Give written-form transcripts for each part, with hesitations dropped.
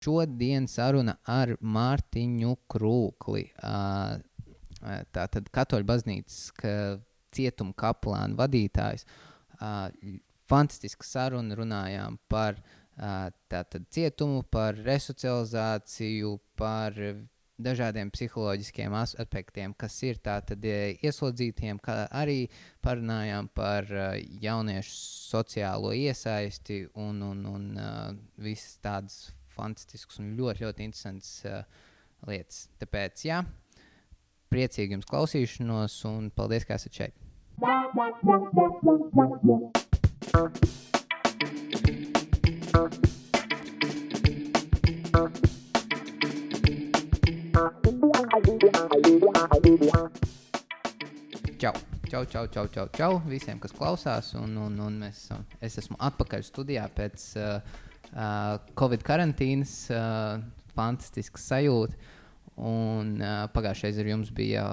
Šodien saruna ar Mārtiņu Krūkli. Tātad Katoļu baznīcas cietuma kaplāna vadītājs. Fantastiska saruna, runājām par tātad cietumu, par resocializāciju, par dažādiem psiholoģiskiem aspektiem, kas ir tātad ieslodzītiem, kā arī parunājām par jauniešu sociālo iesaisti un visas tādas fantastiskas un ļoti, ļoti interesantas lietas. Tāpēc, jā, priecīgi jums klausīšanos un paldies, ka esat šeit. Čau visiem, kas klausās, un es esmu atpakaļ studijā pēc Covid karantīnas, fantastisks sajūta, un pagājušais ar jums bija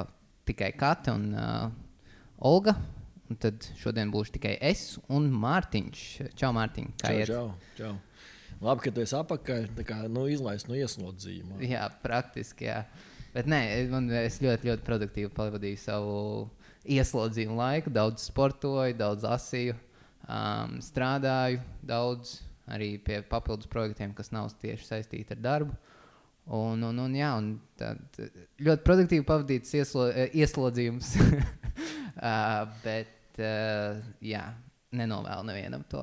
tikai Kata un Olga, un tad šodien būšu tikai es un Mārtiņš. Čau, Mārtiņ, kā iet? Čau. Labi, ka tu esi apakaļ, tā kā izlaist no ieslodzījuma. Jā, praktiski, jā. Bet nē, es ļoti, ļoti produktīvi pavadīju savu ieslodzījumu laiku, daudz sportoju, daudz lasīju, strādāju daudz, arī pie papildus projektiem, kas nav tieši saistīti ar darbu. Un tad ļoti produktīvi pavadīts ieslodzījums. Bet, jā, nenovēlu nevienam to.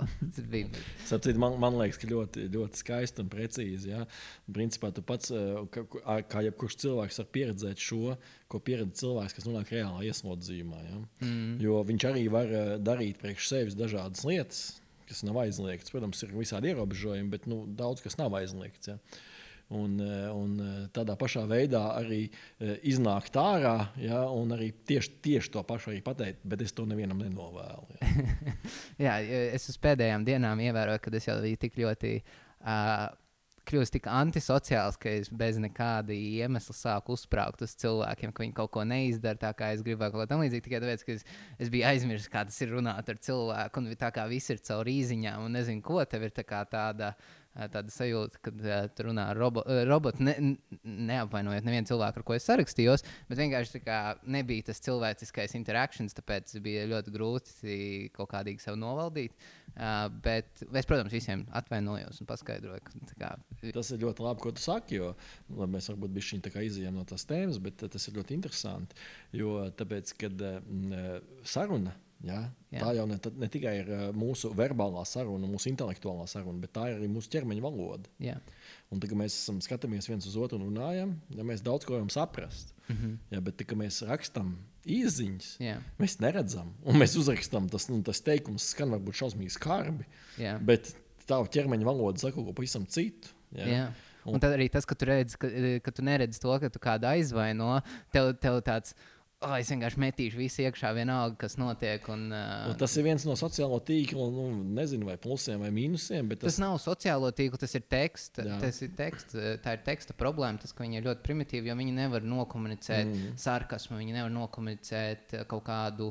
Sapcīt, man liekas, ka ļoti, ļoti skaisti un precīzi. Ja? Principā tu pats, kā jebkurš cilvēks, var pieredzēt šo, ko pieredz cilvēks, kas nonāk reālā ieslodzījumā. Ja? Jo viņš arī var darīt priekš sevis dažādas lietas, kas nav aizliegts. Protams, ir visādi ierobežojumi, bet daudz kas nav aizliegts. Ja? Un tādā pašā veidā arī iznākt ārā, ja? Un arī tieši to pašu arī pateikt, bet es to nevienam nenovēlu. Ja? Jā, es uz pēdējām dienām ievēroju, kad es jau biju tik ļoti kļūst tik antisociāls, ka es bez nekāda iemesla sāku uzsprāgt uz cilvēkiem, ka viņi kaut ko neizdara tā, kā es gribēju, kaut ko tam līdzīgi, tikai tāpēc, ka es biju aizmirsis, kā tas ir runāt ar cilvēku, un tā kā viss ir caur īziņām, un nezinu, ko tev ir tā kā tāda sajūta, kad tu runā ar robotu, neapvainojot nevienu cilvēku, ar ko es sarakstījos, bet vienkārši tā kā nebija tas cilvēciskais interaktions, tāpēc bija ļoti grūti kaut kādīgi sev novaldīt. Bet es, protams, visiem atvainojos un paskaidroju, ka tas ir ļoti labi, ko tu saki, jo mēs varbūt bišķiņ tā kā izejam no tās tēmas, bet tas ir ļoti interesanti, jo tāpēc, kad saruna, ja, tā jau ne tikai ir mūsu verbālā saruna, mūsu intelektuālā saruna, bet tā ir arī mūsu ķermeņa valoda. Jā. Un tad, kad mēs skatāmies viens uz otru un runājam, ja mēs daudz ko varam saprast, ja, bet tad, kad mēs rakstam īziņas, mēs neredzam, un mēs uzrakstam, tas teikums skan varbūt šausmīgi skarbi, bet tavu ķermeņa valoda saka kaut ko pavisam citu. Ja? Jā. Un tad arī tas, ka tu redzi, ka tu neredzi to, ka tu kādu aizvaino, tev tāds, es vienkārši metīšu visu iekšā vienalga, kas notiek. Un tas ir viens no sociālo tīklu, nezinu, vai plusiem vai mīnusiem. Bet tas nav sociālo tīklu, tas ir teksts. Tā ir teksta problēma, tas, ka viņi ir ļoti primitīvi, jo viņi nevar nokomunicēt sarkasmu, viņi nevar nokomunicēt kaut kādu.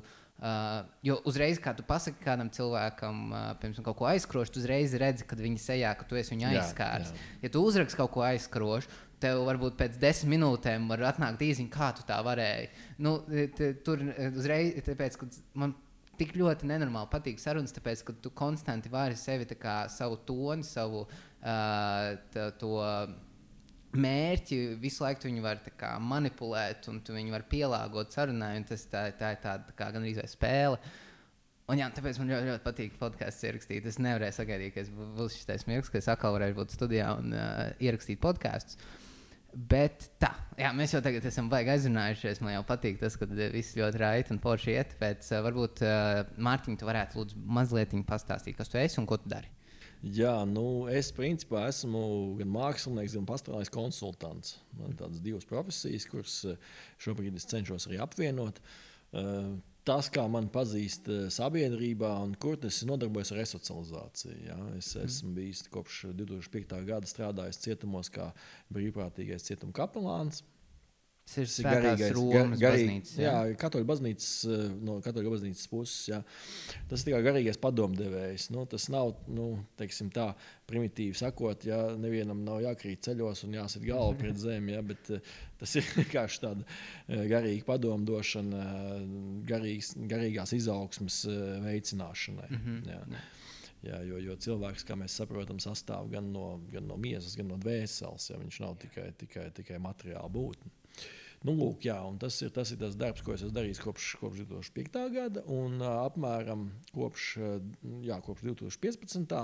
Jo uzreiz, kā tu pasaki kādam cilvēkam, piemēram, kaut ko aizskrošu, tu uzreiz redzi, kad viņi sejā, ka tu esi viņu aizskārs. Ja tu uzraksti kaut ko aizskrošu, tev varbūt pēc 10 minūtēm var atnākt īziņa, kā tu tā varēji. Tur uzreiz, tāpēc, ka man tik ļoti nenormāli patīk sarunas, tāpēc, ka tu konstanti vari sevi tā kā savu toni, savu to mērķi, visu laiku viņu var tā kā manipulēt un tu viņu var pielāgot sarunai, un tā ir tāda kā gan arī spēle. Un jā, tāpēc man ļoti, ļoti patīk podcasts ierakstīt. Es nevarēju sagaidīt, ka es būs šis mirklis, ka es atkal varēšu būt studijā un ierakstīt podcasts. Bet tā, jā, mēs jau tagad esam baigi aizrunājušies. Man jau patīk tas, ka viss ļoti raiti un forši iet. Pēc varbūt, Mārtiņ, tu varētu lūdzu mazliet pastāstīt, kas tu esi un ko tu dari. Jā, es principā esmu gan mākslinieks, gan pastorālais konsultants. Man ir tādas divas profesijas, kuras šobrīd es cenšos arī apvienot. Tas, kā man pazīst sabiedrībā un kur es nodarbojos ar resocializāciju. Ja? Es esmu bijis kopš 2005. gada strādājis cietumos kā brīvprātīgais cietuma kapelāns. Tas ir Svētās Romas baznīcas. Jā, katoļu baznīcas, no katoļu baznīcas puses. Jā. Tas ir tikai garīgais padomdevējs. Tas nav, teiksim tā, primitīvi sakot, ja nevienam nav jākrīt ceļos un jāsit galvu pret zemi, ja, bet tas ir vienkārši tāda garīga padomdošana, garīgās izaugsmes veicināšanai. Jā, jo cilvēks, kā mēs saprotam, sastāv gan no miesas, gan no dvēseles. Ja, viņš nav tikai materiāla būtne. Lūk, jā, un tas ir tas darbs, ko es esmu darījis kopš 2005. gada, un apmēram kopš 2015.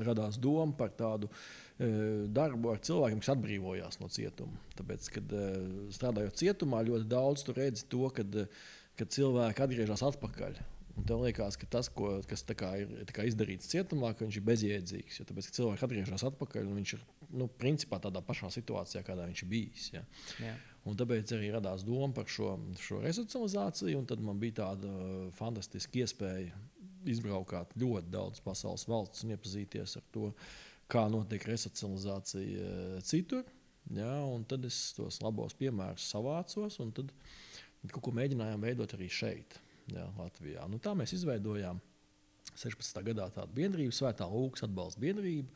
Radās doma par tādu darbu ar cilvēkiem, kas atbrīvojās no cietuma. Tāpēc, kad strādājot cietumā, ļoti daudz tu redzi to, kad cilvēki atgriežas atpakaļ. Un tev liekas, ka tas, kas ir izdarīts cietumā, ka viņš ir bezjēdzīgs. Tāpēc, ka cilvēks atgriežas atpakaļ, un viņš ir principā tādā pašā situācijā, kādā viņš ir bijis. Ja. Yeah. Un tāpēc arī radās doma par šo resocializāciju. Tad man bija tāda fantastiska iespēja izbraukāt ļoti daudz pasaules valsts un iepazīties ar to, kā notiek resocializācija citur. Ja, un tad es tos labos piemērus savācos un tad kaut ko mēģinājām veidot arī šeit. Jā, Latvijā. Tā mēs izveidojām 16. gadā tādu biedrību, Svētā Lūkas atbalsta biedrību.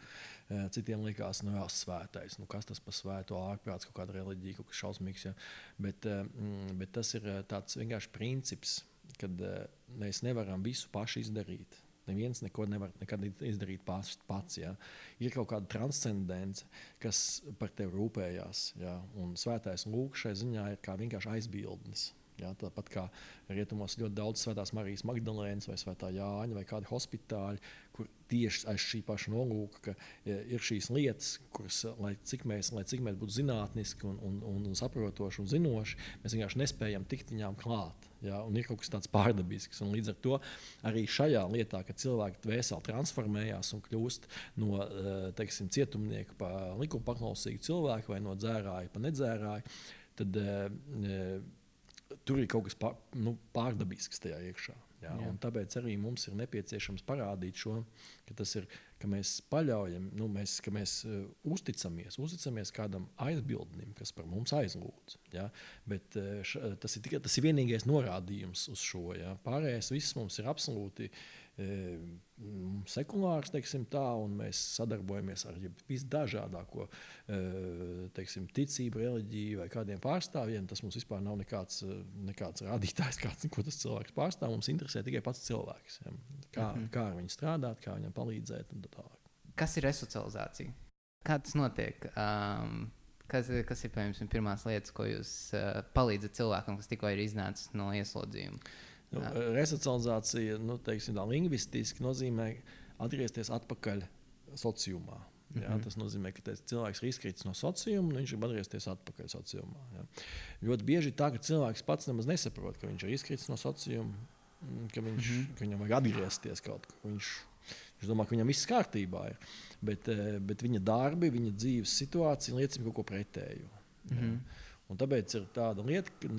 Citiem likās, svētais, kas tas par svēto ārprāts, kaut kāda reliģija, kaut kas šausmīgs. Ja. Bet tas ir tāds vienkārši princips, kad mēs nevaram visu paši izdarīt. Neviens neko nevar nekad izdarīt pats. Ja. Ir kaut kāda transcendence, kas par tevi rūpējās. Ja. Un Svētais Lūks šai ziņā ir kā vienkārši aizbildnis. Jā, tāpat kā rietumos ļoti daudz Svētās Marijas Magdalēnas vai Svētā Jāņa vai kādi hospitāļi, kur tieši aiz šī paša nolūka, ka ir šīs lietas, kuras, lai cik mēs būtu zinātniski un saprotoši un zinoši, mēs vienkārši nespējam tikt viņām klāt. Jā, un ir kaut kas tāds pārdabisks. Un līdz ar to arī šajā lietā, kad cilvēki dvēseli transformējās un kļūst no cietumnieku pa likuma paklausīgu cilvēku vai no dzērāja pa nedzērāju, tad tur ir kaut kas pārdabisks tajā iekšā. Jā, tāpēc arī mums ir nepieciešams parādīt šo, ka mēs paļaujam, ka mēs uzticamies kādam aizbildnim, kas par mums aizlūdz. Jā, bet tas ir vienīgais norādījums uz šo. Jā. Pārējais viss mums ir absolūti sekulārs, teiksim tā, un mēs sadarbojamies ar visdažādāko ticību, reliģiju vai kādiem pārstāvjiem. Tas mums vispār nav nekāds rādītājs, ko tas cilvēks pārstāv. Mums interesē tikai pats cilvēks. Ja? Kā ar viņu strādāt, kā viņam palīdzēt un tā tālāk. Kas ir resocializācija? Kā tas notiek? Kas ir, piemēram, pirmās lietas, ko jūs palīdzat cilvēkam, kas tikko ir iznācis no ieslodzījuma? Resocializācija, lingvistiski nozīmē atgriezties atpakaļ sociumā. Jā, tas nozīmē, ka cilvēks ir izkritis no sociuma un viņš ir atgriezties atpakaļ sociumā. Jā. Ļoti bieži ir tā, ka cilvēks pats nemaz nesaprot, ka viņš ir izkritis no sociuma, ka viņam vajag atgriezties kaut kur. Viņš domā, ka viņam viss kārtībā ir. Bet viņa darbi, viņa dzīves situācija liecina kaut ko pretēju. Un tāpēc ir tāda lieta,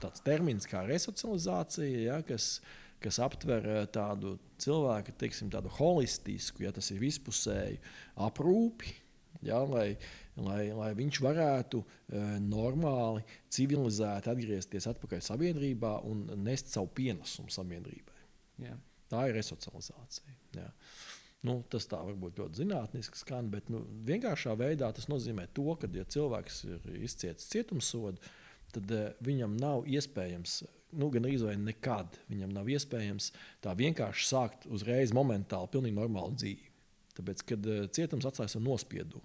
tāds termins kā resocializācija, ja, kas aptver tādu cilvēku, tādu holistisku, ja tas ir vispusēju aprūpi, ja, lai viņš varētu normāli, civilizēti atgriezties atpakaļ sabiedrībā un nest savu pienesumu sabiedrībai. Yeah. Tā ir resocializācija. Ja. Tas tā varbūt ļoti zinātniski skan, bet vienkāršā veidā tas nozīmē to, ka, ja cilvēks ir izcietis cietumsodu, tad viņam nav iespējams, gandrīz vai nekad viņam nav iespējams tā vienkārši sākt uzreiz momentāli pilnīgi normālu dzīvi. Tāpēc, kad cietums atstāja savu nospiedumu,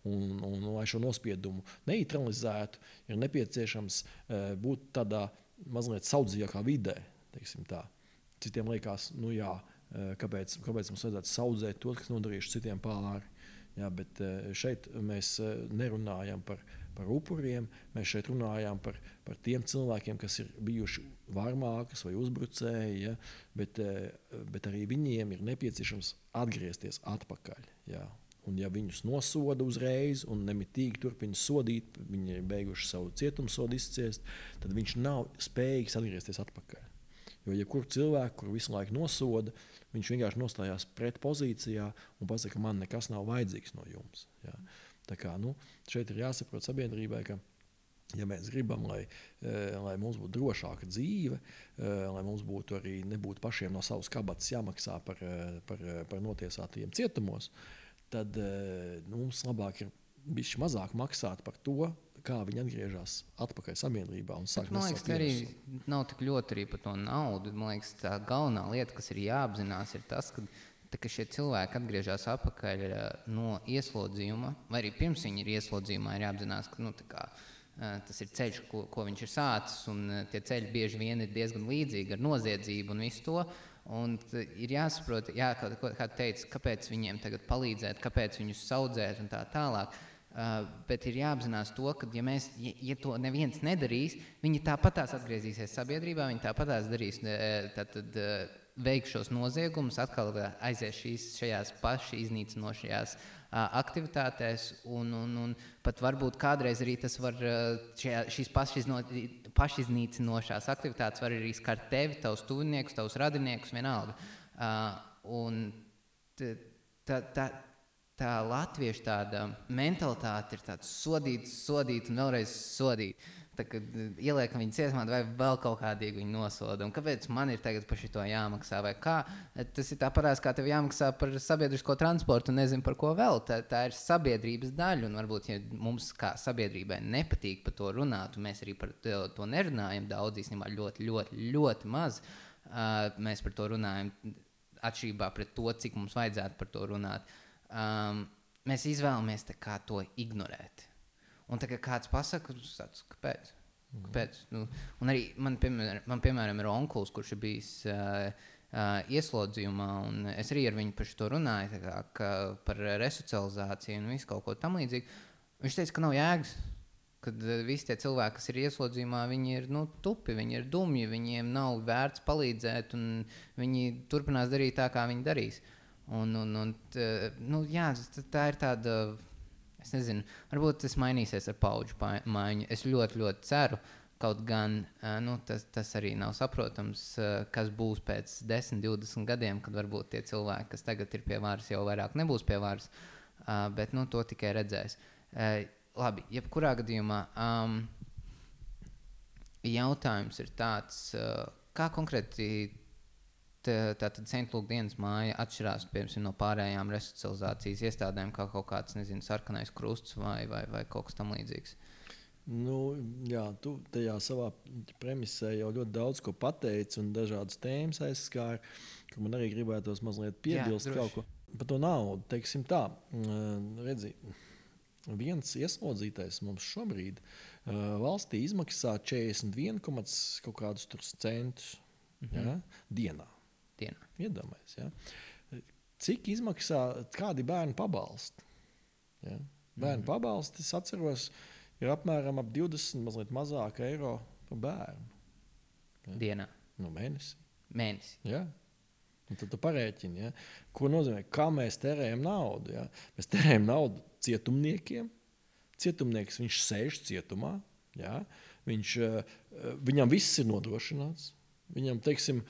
un lai šo nospiedumu neutralizētu, ir nepieciešams būt tādā mazliet saudzīgākā vidē, teiksim tā. Citiem liekas, kāpēc mums vajadzētu saudzēt to, kas nodarījuši citiem pāri. Jā, bet šeit mēs nerunājam par upuriem, mēs šeit runājam par tiem cilvēkiem, kas ir bijuši varmākas vai uzbrucēji, ja, bet arī viņiem ir nepieciešams atgriezties atpakaļ. Jā. Un ja viņus nosoda uzreiz un nemitīgi turpina sodīt, viņi ir beiguši savu cietumsodu izciest, tad viņš nav spējīgs atgriezties atpakaļ. Jo jebkuru cilvēku, kur visu laiku nosoda, viņš vienkārši nostājās pretpozīcijā un pasaka, ka man nekas nav vajadzīgs no jums. Ja. Tā kā, šeit ir jāsaprot sabiedrībai, ka ja mēs gribam, lai mums būtu drošāka dzīve, lai mums būtu arī nebūtu pašiem no savas kabatas jāmaksā par notiesātajiem cietumos, tad mums labāk ir bišķi mazāk maksāt par to, kā viņi atgriežas atpakaļ sabiedrībā un sāk nesāt ienesumu. Man liekas, arī nav tik ļoti arī par to naudu. Man liekas, tā galvenā lieta, kas ir jāapzinās, ir tas, ka šie cilvēki atgriežas atpakaļ no ieslodzījuma, vai arī pirms viņi ir ieslodzījumā, ir jāapzinās, ka tas ir ceļš, ko viņš ir sācis, un tie ceļi bieži vien ir diezgan līdzīgi ar noziedzību un visu to. Un ir jāsaprot, kā teica, kāpēc viņiem tagad palīdzēt, kāpēc viņus saudzēt un tā tālāk. Bet ir jāapzinās to, ka ja to neviens nedarīs, viņi tāpatās atgriezīsies sabiedrībā, viņi tāpatās darīs, veiks šos noziegumus, atkal aizies šajās paši iznīcinošajās aktivitātēs, un pat varbūt kādreiz arī tas var, šīs pašiznīcinošās aktivitātes var arī skart tevi, tavus tuviniekus, tavus radiniekus, vienalga. Un tā latviešu tāda mentalitāte ir tāds sodīt un vēlreiz sodīt. Tā, kad ieliekam viņu cietumā, vai vēl kaut kādīgi viņu nosoda. Un kāpēc man ir tagad par šito jāmaksā? Vai kā? Tas ir tāpatās, kā tev jāmaksā par sabiedrisko transportu un nezinu par ko vēl. Tā ir sabiedrības daļa. Un varbūt, ja mums kā sabiedrībai nepatīk par to runāt, un mēs arī par to nerunājam daudz, īstenībā ļoti, ļoti, ļoti maz, mēs par to runājam atšķirībā pret to, cik mums vajadzētu par to runāt. Mēs izvēlamies kā to ignorēt. Un tagad kāds pasaka, kāpēc? Un arī man, piemēram, ir onkulis, kurš ir bijis ieslodzījumā, un es arī ar viņu par šo runāju, par resocializāciju un visu kaut ko tam līdzīgu. Viņš teica, ka nav jēgas, kad visi tie cilvēki, kas ir ieslodzījumā, viņi ir tupi, viņi ir dumji, viņiem nav vērts palīdzēt, un viņi turpinās darīt tā, kā viņi darīs. Jā, tā ir tāda, es nezinu, varbūt tas mainīsies ar paudžu maiņu. Es ļoti, ļoti ceru, kaut gan tas arī nav saprotams, kas būs pēc 10, 20 gadiem, kad varbūt tie cilvēki, kas tagad ir pie varas, jau vairāk nebūs pie varas, bet to tikai redzēs. Labi, jebkurā gadījumā jautājums ir tāds, kā konkrēti tātad Saintlūk dienas māja atšķirās, piemēram, no pārējām resocializācijas iestādēm, kā kaut kāds, nezinu, sarkanais krusts vai kaut kas tam līdzīgs? Jā, tu tajā savā premisē jau ļoti daudz ko pateici un dažādas tēmas aizskāri, ka man arī gribētos mazliet piebilst kaut ko. Par to naudu, teiksim tā, redzi, viens ieslodzītais mums šobrīd valstī izmaksā 41 kaut kādus centus dienā. Iedomājies, ja? Cik izmaksā kādi bērnu pabalsti? Ja? Bērnu pabalsti, es atceros, ir apmēram ap 20, mazliet mazāk eiro par bērnu. Ja? Dienā? Mēnesi. Ja? Un tad tu parēķini, ja? Ko nozīmē, kā mēs terējam naudu. Ja? Mēs terējam naudu cietumniekiem. Cietumnieks, viņš sēž cietumā. Ja? Viņam viss ir nodrošināts. Viņam, teiksim,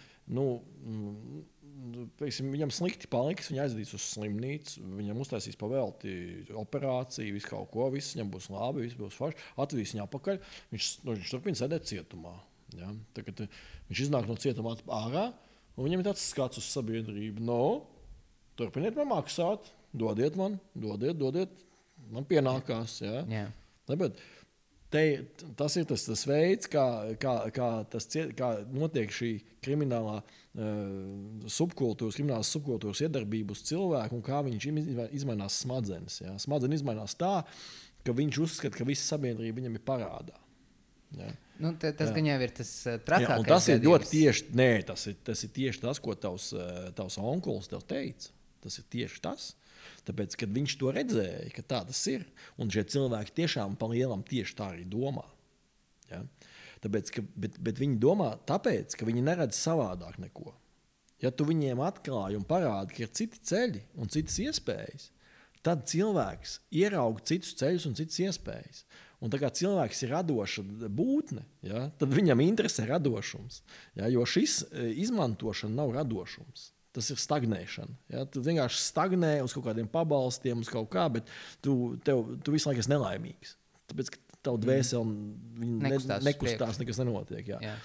viņam slikti paliks, viņa aizdīs uz slimnīcu, viņam uztaisīs pavēlti operāciju, visu kaut ko, viss viņam būs labi, viss būs forši, atvedīs viņu apakaļ, viņš turpina sēdēt cietumā. Ja? Tagad viņš iznāk no cietuma ārā, un viņam ir tāds skats uz sabiedrību. Turpiniet man maksāt, dodiet, man pienākās. Ja? Yeah. Tāpēc, tas ir tas veids, kā notiek šī kriminālās subkultūras iedarbība uz cilvēku un kā viņš izmainās smadzenes. Ja? Smadzenes izmainās tā, ka viņš uzskata, ka visa sabiedrība viņam ir parādā. Ja? Tas gan jau ir tas trakākais. Un tas ir ļoti tieši, tas ir tieši tas, ko tavs onkulis tev teica. Tas ir tieši tas. Tāpēc, kad viņš to redzēja, ka tā tas ir, un šie cilvēki tiešām pa lielam tieši tā arī domā. Ja? Tāpēc, bet viņi domā tāpēc, ka viņi neredz savādāk neko. Ja tu viņiem atklāji un parādi, ka ir citi ceļi un citas iespējas, tad cilvēks ieraug citus ceļus un citas iespējas. Un tā kā cilvēks ir radoša būtne, ja, tad viņam interesē radošums. Ja, jo šis izmantošana nav radošums. Tas ir stagnēšana. Ja? Tu vienkārši stagnē uz kaut kādiem pabalstiem, uz kaut kā, bet tu visu laiku esi nelaimīgs. Tāpēc, ka tavu dvēseli nekustās, nekas nenotiek. Ja?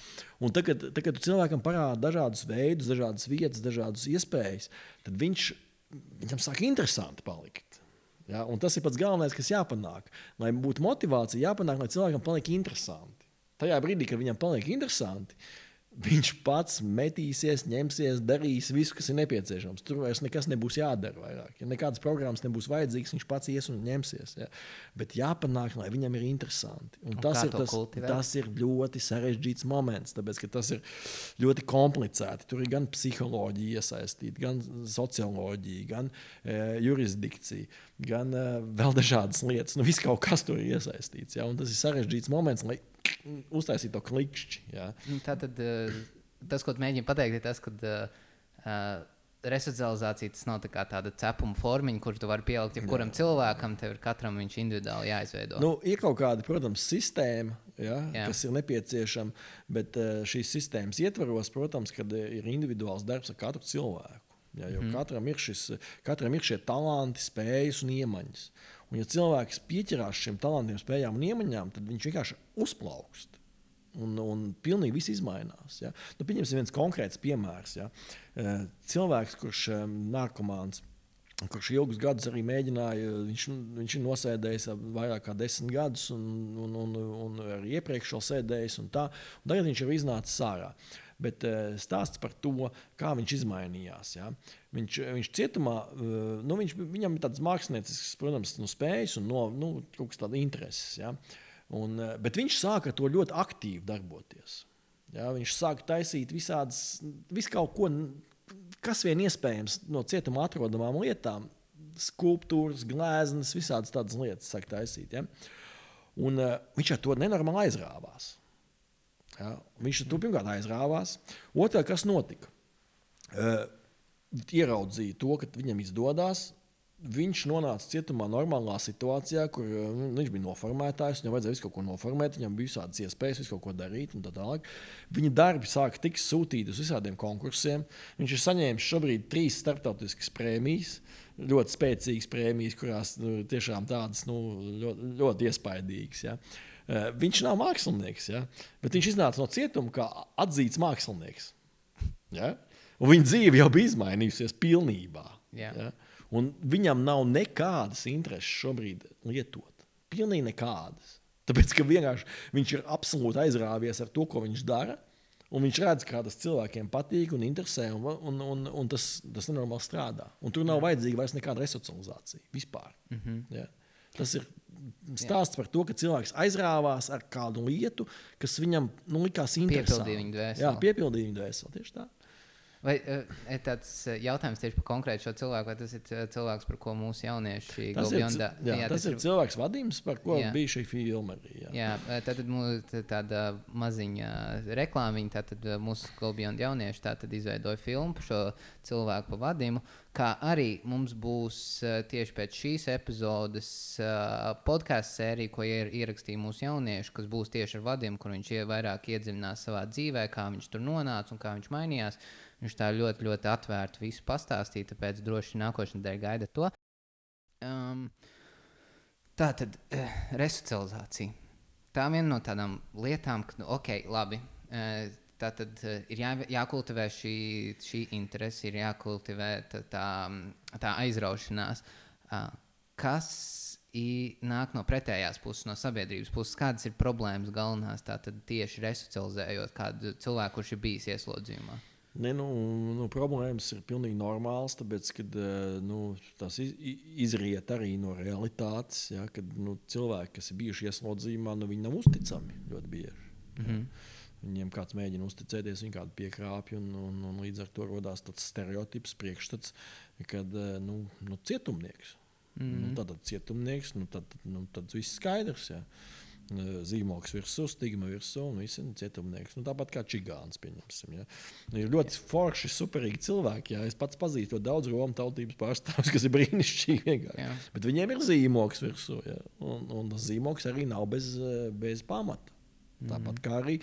Un tagad, kad tu cilvēkam parāda dažādus veidus, dažādas vietas, dažādas iespējas, tad viņam sāk interesanti palikt. Ja? Un tas ir pats galvenais, kas jāpanāk. Lai būtu motivācija, jāpanāk, lai cilvēkam paliek interesanti. Tajā brīdī, kad viņam paliek interesanti, viņš pats metīsies, ņemsies, darīs visu, kas ir nepieciešams. Tur vairs nekas nebūs jādara vairāk. Ja nekādas programmas nebūs vajadzīgas, viņš pats ies un ņemsies. Ja? Bet jāpanāk, lai viņam ir interesanti. Un tas ir ļoti sarežģīts moments, tāpēc, ka tas ir ļoti komplicēti. Tur ir gan psiholoģija iesaistīta, gan socioloģija, gan jurisdikcija, gan vēl dažādas lietas. Viss kaut kas tur ir iesaistīts. Ja? Un tas ir sarežģīts moments, lai uztaisīt to klikšķi. Ja? Tātad tas, ko tu mēģini pateikt, ir tas, ka resocializācija tas nav tā tāda cepuma formiņa, kur tu vari pielikt jebkuram cilvēkam, tev ir katram viņš individuāli jāizveido. Ir kaut kāda, protams, sistēma, kas ir nepieciešama, bet šīs sistēmas ietvaros, protams, kad ir individuāls darbs ar katru cilvēku. Ja, jo katram ir šie talanti, spējas un iemaņas. Un, ja cilvēks pieķerās šiem talantiem, spējām un iemaņām, tad viņš vienkārši uzplaukst. Un pilnīgi viss izmainās. Ja. Pieņemsim viens konkrēts piemērs. Ja. Cilvēks, kurš narkomāns, kurš ilgus gadus arī mēģināja, viņš ir nosēdējis vairāk kā 10 gadus un arī iepriekš vēl sēdējis un tā. Un tagad viņš ir iznācis ārā. Bet stāsts par to, kā viņš izmainījās. Ja. Viņš cietumā, viņam ir tāds māksliniecisks, protams, spējas un kaut kas tāds intereses. Ja. Bet viņš sāka to ļoti aktīvi darboties. Ja. Viņš sāka taisīt visu kaut ko, kas vien iespējams no cietuma atrodamām lietām, skulptūras, glēznes, visādas tādas lietas sāka taisīt. Ja. Un viņš ar to nenormāli aizrāvās. Ja, viņš to pirmkārt aizrāvās. Otrā, kas notika? Ieraudzīja to, ka viņam izdodas. Viņš nonāca cietumā normālā situācijā, kur viņš bija noformētājs. Viņam vajadzēja visu kaut ko noformēt, viņam bija visādas iespējas, visu kaut ko darīt un tā tālāk. Viņa darbi sāka tikt sūtīti uz visādiem konkursiem. Viņš ir saņēmis šobrīd 3 starptautiskas prēmijas, ļoti spēcīgas prēmijas, kurās tiešām tādas ļoti iespaidīgas. Ja. Viņš nav mākslinieks, ja? Bet viņš iznāca no cietuma kā atzīts mākslinieks. Ja? Un viņa dzīve jau bija izmainījusies pilnībā. Yeah. Ja? Un viņam nav nekādas intereses šobrīd lietot. Pilnīgi nekādas. Tāpēc, ka vienkārši viņš ir absolūti aizrāvies ar to, ko viņš dara, un viņš redz, kā tas cilvēkiem patīk un interesē, un tas nenormāli strādā. Un tur nav vajadzīga vairs nekāda resocializācija vispār. Ja? Tas ir stāsts par to, ka cilvēks aizrāvās ar kādu lietu, kas viņam likās interesanti. Piepildīja viņu dvēseli. Jā, piepildīja viņu dvēseli, tieši tā. Vai tāds jautājums tieši par konkrētu šo cilvēku, vai tas ir cilvēks, par ko mūsu jaunieši Golbjondā? Tas ir cilvēks Vadims, par ko bija šī filma arī. Jā, tad tāda maziņa reklāmiņa, tātad mūsu Golbjonda jaunieši tātad izveidoja filmu par šo cilvēku pa Vadimu, kā arī mums būs tieši pēc šīs epizodes podcastu sērija, ko ierakstīja mūsu jaunieši, kas būs tieši ar Vadimu, kur viņš vairāk iedziļinās savā dzīvē, kā viņš tur nonāca un kā viņš mainījās. Viņš tā ļoti, ļoti atvērti visu pastāstīja, tāpēc droši nākošais nedēļa gaida to. Tā tad resocializācija. Tā viena no tādām lietām, ka, labi, tā tad ir jākultivē šī interese, ir jākultivē tā aizraušanās. Kas nāk no pretējās puses, no sabiedrības puses? Kādas ir problēmas galvenās tātad tieši resocializējot kādu cilvēku, kurš ir bijis ieslodzījumā? Problēmas ir pilnīgi normāls, tāpēc, kad tas izriet arī no realitātes, ja, kad cilvēki, kas ir bijuši ieslodzījumā, viņi nav uzticami ļoti bieži. Ja. Viņiem kāds mēģina uzticēties, viņi kādu piekrāpj, un līdz ar to rodās tāds stereotips, priekšstats, kad cietumnieks. Tātad cietumnieks, tad viss skaidrs. Ja. Zīmoks virsū, stigma virsū un visi cietumnieks. Tāpat kā čigāns, pieņemsim. Ja. Ir ļoti forši, superīgi cilvēki. Ja. Es pats pazīstu daudz romu tautības pārstāvjus, kas ir brīnišķīgi vienkārši. Bet viņiem ir zīmoks virsū. Ja. Un tas zīmoks arī nav bez pamata. Tāpat kā arī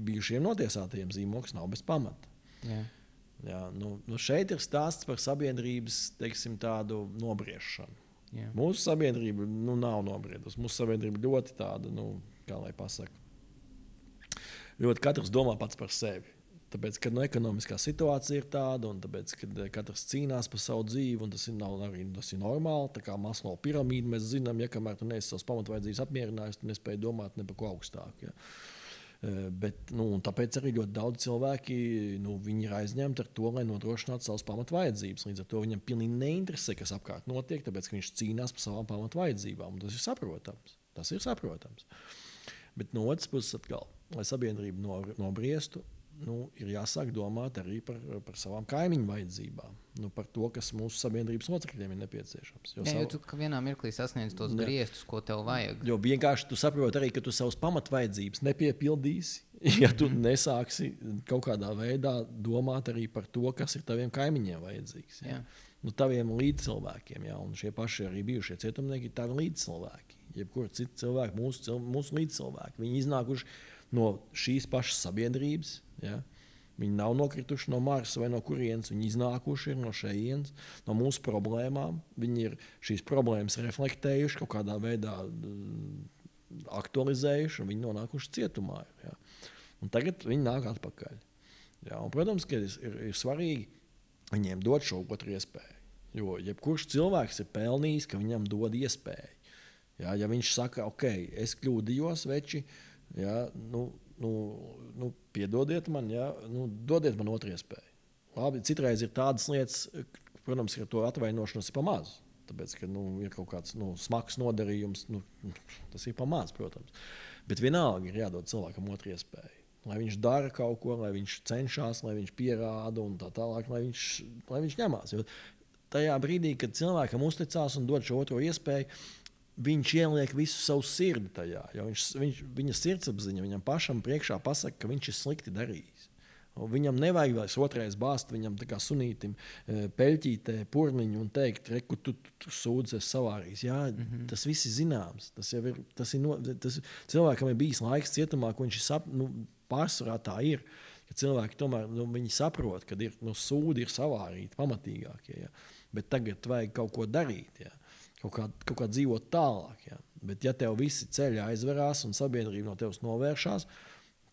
bijušiem notiesātajiem zīmoks nav bez pamata. Jā, šeit ir stāsts par sabiedrības, teiksim, tādu nobriešanu. Jā. Mūsu sabiedrība nav nobriedusi. Mūsu sabiedrība ļoti tāda, kā lai pasaka, ļoti katrs domā pats par sevi. Tāpēc, kad ekonomiskā situācija ir tāda, un tāpēc, kad katrs cīnās par savu dzīvi, un tas ir normāli, tā kā Maslow piramīda, mēs zinām, ja kamēr tu neesi savas pamatvajadzības apmierinājis, tu nespēji domāt ne par ko augstāk. Ja. Bet, tāpēc arī ļoti daudz cilvēki viņi ir aizņemti ar to, lai nodrošinātu savas pamatvajadzības. Līdz ar to viņam pilnīgi neinteresē, kas apkārt notiek, tāpēc, ka viņš cīnās par savām pamatvajadzībām. Tas ir saprotams. Bet no otras puses, atkal, lai sabiedrība nobriestu, ir jāsāk domāt arī par savām kaimiņu vajadzībām. Par to, kas mūsu sabiedrības locekļiem ir nepieciešams. Jo tu vienā mirklī sasniedz tos griestus, ko tev vajag. Jo vienkārši tu saproti arī, ka tu savas pamatvajadzības nepiepildīsi, ja tu nesāksi kaut kādā veidā domāt arī par to, kas ir taviem kaimiņiem vajadzīgs. Ja? Taviem līdzcilvēkiem. Ja? Un šie paši arī bijušie cietumnieki ir tavi līdzcilvēki. Jebkur citi cilvēki, mūsu līdzcilvēki. Viņi iznākuši no šīs pašas sabiedrības. Ja? Viņi nav nokrituši no Marsa vai no kurienes. Viņi iznākuši no šejienes, no mūsu problēmām. Viņi ir šīs problēmas reflektējuši, kaut kādā veidā aktualizējuši, un viņi nonākuši cietumā. Ja? Un tagad viņi nāk atpakaļ. Ja? Un, protams, ka ir svarīgi viņiem dot šo otru iespēju. Jo jebkurš cilvēks ir pelnījis, ka viņam dod iespēju. Ja? Ja viņš saka, ok, es kļūdījos, veči, ja? Piedodiet man, ja? Dodiet man otru iespēju. Labi, citreiz ir tādas lietas, protams, ka to atvainošanos ir pa maz. Tāpēc, ka ir kaut kāds smags nodarījums, tas ir pa maz, protams. Bet vienalga ir jādod cilvēkam otru iespēju. Lai viņš dara kaut ko, lai viņš cenšas, lai viņš pierāda un tā tālāk, lai viņš ņemās. Jo tajā brīdī, kad cilvēkam uzticās un dod šo otro iespēju, viņš ieliek visu savu sirdi tajā. Viņa sirdsapziņa viņam pašam priekšā pasaka, ka viņš ir slikti darījis. Viņam nevajag vairs otrais bāzt, viņam tā kā sunītim peļķītē purniņu un teikt, reku, tu sūdzes savārīs. Jā, tas viss ir zināms. Cilvēkam ir bijis laiks cietumā, ko viņš pārsvarā tā ir. Ka cilvēki tomēr viņi saprot, ka sūdi ir savārīti pamatīgākie. Ja? Bet tagad vajag kaut ko darīt. Ja? Kaut kā dzīvot tālāk. Ja? Bet ja tev visi ceļi aizverās un sabiedrība no tevis novēršās,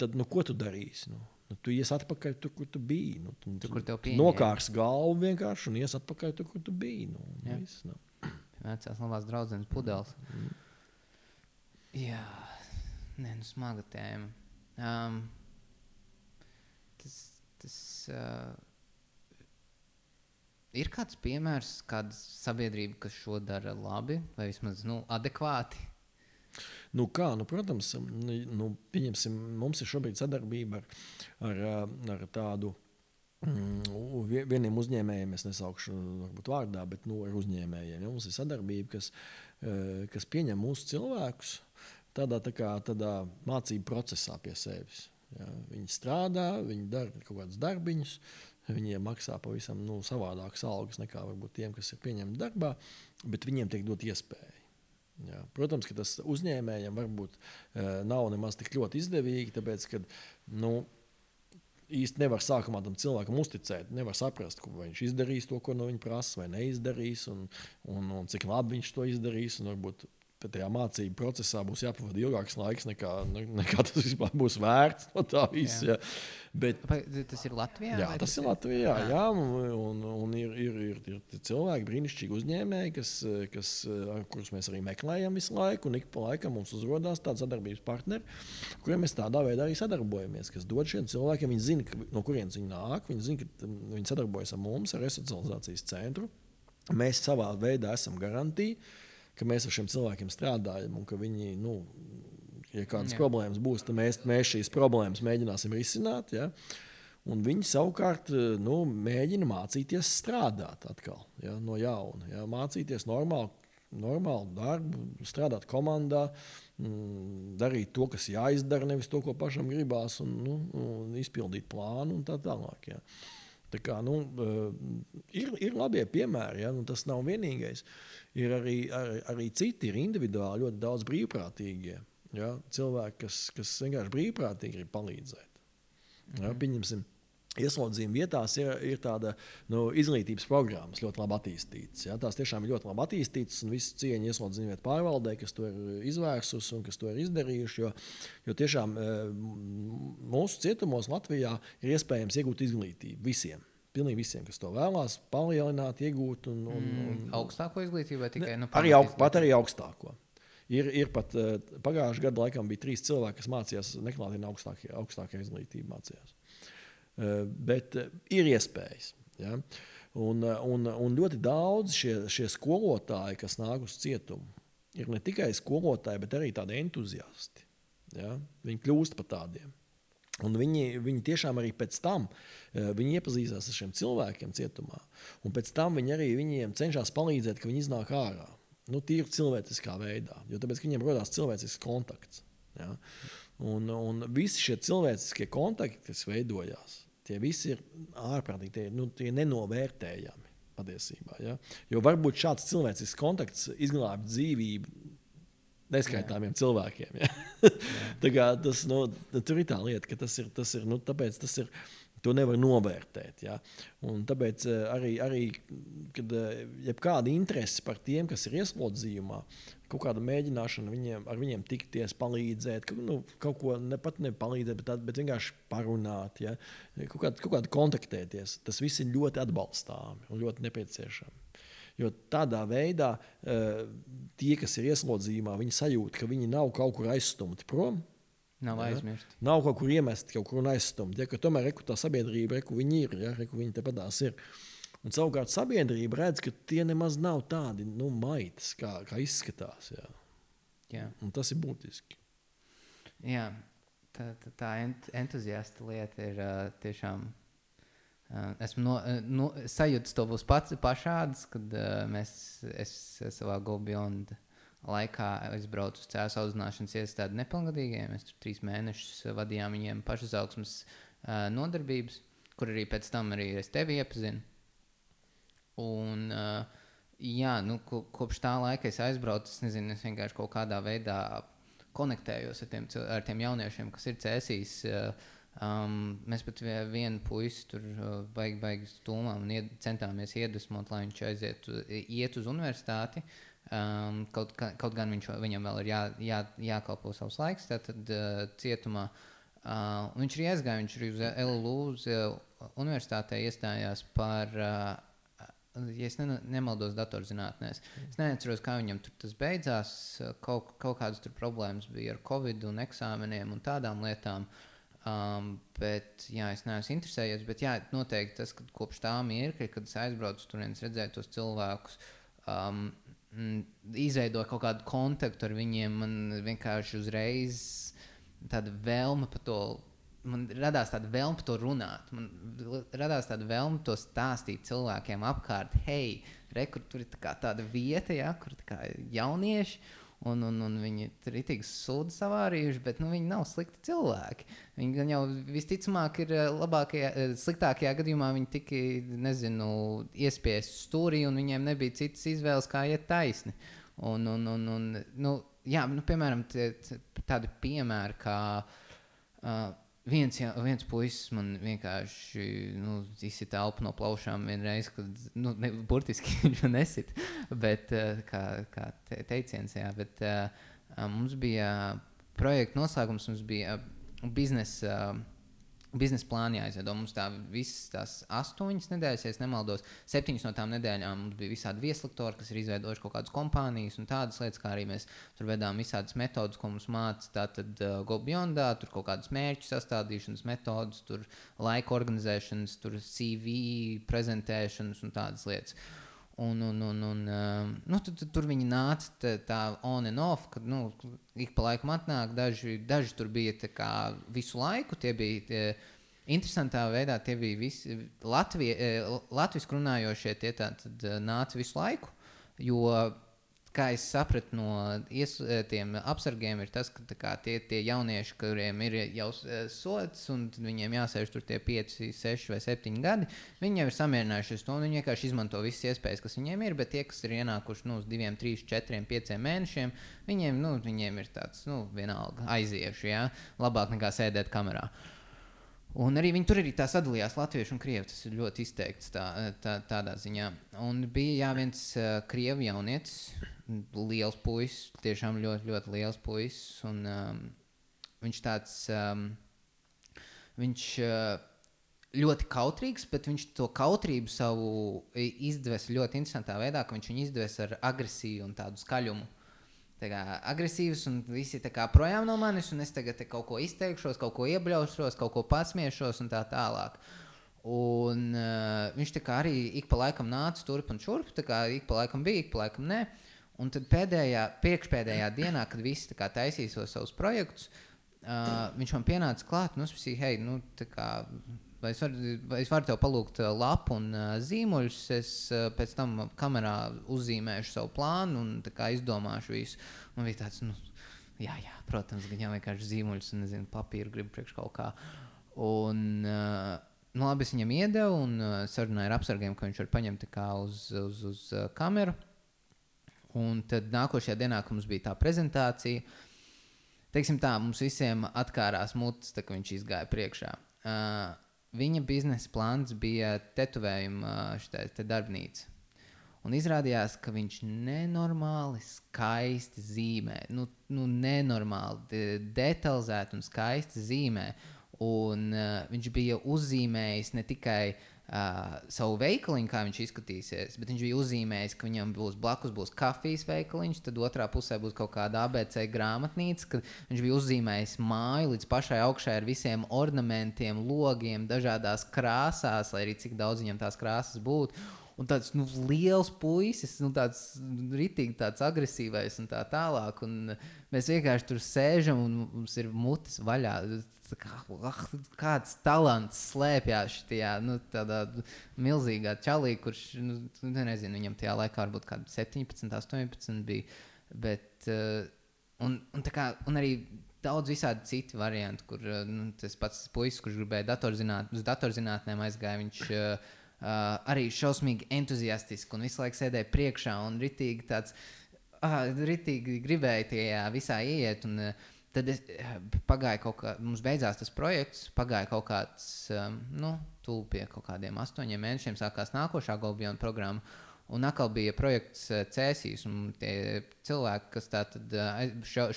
tad ko tu darīsi? Tu ies atpakaļ tur, kur tu biji. Tu nokārs galvu vienkārši un ies atpakaļ tur, kur tu biji. Viss, Vecās labās draudzenes pudeles. Jā, smaga tēma. Tas ir kāds piemērs, kāda sabiedrība, kas šo dara labi vai vismaz adekvāti? Protams, pieņemsim, mums ir šobrīd sadarbība ar tādu vieniem uzņēmējiem, es nesaukšu varbūt vārdā, bet ar uzņēmējiem. Ja? Mums ir sadarbība, kas pieņem mūsu cilvēkus tādā mācību procesā pie sevis. Ja? Viņi strādā, viņi dara kaut kādus darbiņus, viņiem maksā pavisam savādākas algas nekā varbūt tiem, kas ir pieņemti darbā, bet viņiem tiek dot iespēju. Jā. Protams, ka tas uzņēmējiem varbūt nav nemaz tik ļoti izdevīgi, tāpēc, ka īsti nevar sākumā tam cilvēkam uzticēt, nevar saprast, vai viņš izdarīs to, ko no viņa prasa, vai neizdarīs, un cik labi viņš to izdarīs, un varbūt tajā mācību procesā būs jāpavada ilgāks laiks, nekā tas vispār būs vērts no tā visa. Bet, tas ir Latvijā? Jā, tas ir Latvijā, jā, un ir cilvēki, brīnišķīgi uzņēmēji, kurus mēs arī meklējam visu laiku, un ik pa laikam mums uzrodās tādi sadarbības partneri, kuriem mēs tādā veidā arī sadarbojamies, kas dod šiem cilvēkiem, viņi zina, no kurienes viņi nāk, viņi zina, ka viņi sadarbojas ar mums, ar resocializācijas centru. Mēs savā veidā esam garantīvi, ka mēs ar šiem cilvēkiem strādājam un ka viņi, ja kādas problēmas būs, tad mēs šīs problēmas mēģināsim risināt. Ja? Un viņi savukārt mēģina mācīties strādāt atkal, ja? No jauna. Ja? Mācīties normālu darbu, strādāt komandā, darīt to, kas jāizdara, nevis to, ko pašam gribās, un izpildīt plānu un tā tālāk. Ja? Tā kā, ir labie piemēri, ja? Tas nav vienīgais. Ir arī citi, ir individuāli ļoti daudz brīvprātīgie. Ja? Cilvēki, kas vienkārši brīvprātīgi grib palīdzēt. Ja? Pieņemsim, ieslodzījuma vietās ir tāda izglītības programmas ļoti labi attīstītas. Ja? Tās tiešām ir ļoti labi attīstītas un visu cieņu ieslodzījuma vietu pārvaldē, kas to ir izvērsusi un kas to ir izdarījuši. Jo tiešām mūsu cietumos Latvijā ir iespējams iegūt izglītību visiem. Pilnīgi visiem, kas to vēlās, palielināt, iegūt. Augstāko izglītību vai tikai arī augstāko. Ir pat pagājušajā gadā laikam bija 3 cilvēki, kas mācījās neklātienē augstākajā izglītībā mācījās. Bet ir iespējas. Ja? Un ļoti daudz šie skolotāji, kas nāk uz cietumu, ir ne tikai skolotāji, bet arī tādi entuziasti. Ja? Viņi kļūst par tādiem. Un viņi tiešām arī pēc tam viņi iepazīstās ar šiem cilvēkiem cietumā. Un pēc tam viņi arī viņiem cenšas palīdzēt, ka viņi iznāk ārā. Tīri cilvēciskā veidā. Jo tāpēc, ka viņiem rodās cilvēcisks kontakts. Ja? Un visi šie cilvēciskie kontakti, kas veidojās, tie visi ir ārprātīgi, tie nenovērtējami patiesībā. Ja? Jo varbūt šāds cilvēcisks kontakts izglābj dzīvību neskaitāmiem cilvēkiem. Ja? Tā kā tur ir tā lieta, ka tas ir tāpēc tas ir, to nevar novērtēt. Ja? Un tāpēc arī kad jebkāda interese par tiem, kas ir ieslodzījumā, kaut kāda mēģināšana ar viņiem tikties, palīdzēt, kaut ko pat nepalīdzēt, bet vienkārši parunāt, ja? kaut kādu kontaktēties. Tas viss ir ļoti atbalstāmi un ļoti nepieciešami. Jo tādā veidā tie, kas ir ieslodzījumā, viņi sajūt, ka viņi nav kaut kur aizstumti prom. Nav aizmirsti. Nav kaut kur iemesti, kaut kur un aizstumti. Ja? Tomēr tā sabiedrība, viņi ir, ja? Viņi tepadās ir. Un savukārt sabiedrība redz, ka tie nemaz nav tādi maitas, kā izskatās. Ja? Jā. Un tas ir būtiski. Jā, tā entuziasta lieta ir tiešām... Esmu sajūtas to būs pašādas, kad es savā Go Beyond laikā aizbraucu uz cēsu audzināšanas iestādi nepilngadīgiem. Mēs tur 3 mēnešus vadījām viņiem pašizaugsmes nodarbības, kur arī pēc tam arī es tevi iepazinu. Un kopš tā laika es aizbraucu, es nezinu, es vienkārši kaut kādā veidā konektējos ar tiem jauniešiem, kas ir cēsīs. Mēs pat vienu puisi tur baigi stūmām un centāmies iedvesmot, lai viņš iet uz universitāti. Kaut gan viņam vēl ir jākalpo savs laiks tātad cietumā. Viņš arī aizgāja, viņš arī uz LLU uz universitātē iestājās par, ja es nemaldos, datorzinātnēs. Es neatceros, kā viņam tur tas beidzās. Kaut kādas tur problēmas bija ar Covid un eksāmeniem un tādām lietām. Bet es neesmu interesējies, bet noteikti tas, ka kopš tā mirkļa, kad es aizbraucu tur, es redzēju tos cilvēkus, izveidoju kaut kādu kontaktu ar viņiem, man vienkārši uzreiz tāda vēlme par to, man radās tāda vēlme par to runāt, man radās tāda vēlme to stāstīt cilvēkiem apkārt, hei, kur tur ir tāda vieta, ja, kur jaunieši, un viņi tur ir tik sūdi savārījuši, bet viņi nav slikti cilvēki. Viņi gan jau visticamāk ir sliktākajā gadījumā viņi tika, iespiesti stūrī, un viņiem nebija citas izvēles, kā iet taisni. Piemēram, tādi piemēri, kā viens puisis man vienkārši izsita elpu no plaušām vienreiz, kad burtiski viņš man nesit, bet kā teiciens, jā, bet mums bija projekta noslēgums, mums bija biznesa plāni jāizveido. Mums visas tās 8 nedēļas, ja es nemaldos, 7 no tām nedēļām mums bija visādi vieslektori, kas ir izveidojuši kaut kādas kompānijas un tādas lietas, kā arī mēs tur vedām visādas metodas, ko mums māca tātad Go Beyondā, tur kaut kādas mērķu sastādīšanas metodas, tur laika organizēšanas, tur CV prezentēšanas un tādas lietas. Tur viņi nāca tā on and off, kad ik pa laikam atnāk, daži tur bija tā kā visu laiku, tie bija interesantā veidā, tie bija visi latviski runājošie, tie tātad nāca visu laiku, jo, kā es sapratu no tiem apsargiem, ir tas, ka tie jaunieši, kuriem ir jau sods, un viņiem jāsēž tur tie 5, 6 vai 7 gadi, viņi jau ir samierinājušies to, un viņi vienkārši izmanto visas iespējas, kas viņiem ir, bet tie, kas ir ienākuši uz 2, 3, 4, 5 mēnešiem, viņiem ir tāds, vienalga aiziešu, ja? Labāk nekā sēdēt kamerā. Un arī viņi tur arī tā sadalījās latviešu un krievi. Tas ir ļoti izteikts tādā ziņā. Un bija viens krievu jaunietis, liels puisis, tiešām ļoti, ļoti liels puisis. Un viņš tāds, viņš ļoti kautrīgs, bet viņš to kautrību savu izdeves ļoti interesantā veidā, ka viņš viņu izdeves ar agresiju un tādu skaļumu. Tā kā agresīvs un visi tā kā projām no manis, un es tagad kaut ko izteikšos, kaut ko iebļaušos, kaut ko pasmiešos un tā tālāk. Un viņš tā kā arī ik pa laikam nāca turp un šurp, tā kā ik pa laikam bija, ik pa laikam nē. Un tad priekšpēdējā dienā, kad visi tā kā taisīs savus projektus, viņš man pienāca klāt, un es prasīju, hei, nu tā kā, vai es varu tev palūgt lapu un zīmuļus, es pēc tam kamerā uzzīmēšu savu plānu un tā kā izdomāšu visu. Man bija tāds, jā, protams, gan jau vienkārši zīmuļus un, nezinu, papīru gribu priekš kaut kā. Un, labi, es viņam iedevu un sarunāju ar apsargiem, ka viņš var paņemt tā kā uz kameru. Un tad nākošajā dienā, kad mums bija tā prezentācija, teiksim tā, mums visiem atkārās mutes, tā, ka viņš izgāja priekšā. Viņa biznesa plāns bija tetuvējuma darbnīca. Un izrādījās, ka viņš nenormāli skaisti zīmē. Nenormāli detalizēti un skaisti zīmē. Un viņš bija uzzīmējis ne tikai savu veikaliņu, kā viņš izskatīsies, bet viņš bija uzzīmējis, ka viņam blakus kafijas veikaliņš, tad otrā pusē būs kaut kāda ABC grāmatnīca, kad viņš bija uzzīmējis māju līdz pašai augšai ar visiem ornamentiem, logiem, dažādās krāsās, lai arī cik daudz viņam tās krāsas būtu. Un tāds liels puisis, tāds ritīgi tāds agresīvais un tā tālāk. Un mēs vienkārši tur sēžam un mums ir mutes vaļā. Kāds talants slēpjās šitajā tādā milzīgā čalī, kurš, nezinu, viņam tajā laikā varbūt kādi 17, 18 bija. Bet, un arī daudz visādi citi varianti, kur tas pats puisis, kurš gribēja uz datorzinātnēm aizgāja, viņš arī šausmīgi entuziastiski un visu laiku sēdēja priekšā un ritīgi gribēja tajā visā ieiet. Un tad pagāja mums beidzās tas projekts, pagāja kaut kāds, tūl pie kaut kādiem 8 mēnešiem sākās nākošā Golbiona programma. Un atkal bija projekts Cēsīs, un tie cilvēki, kas tātad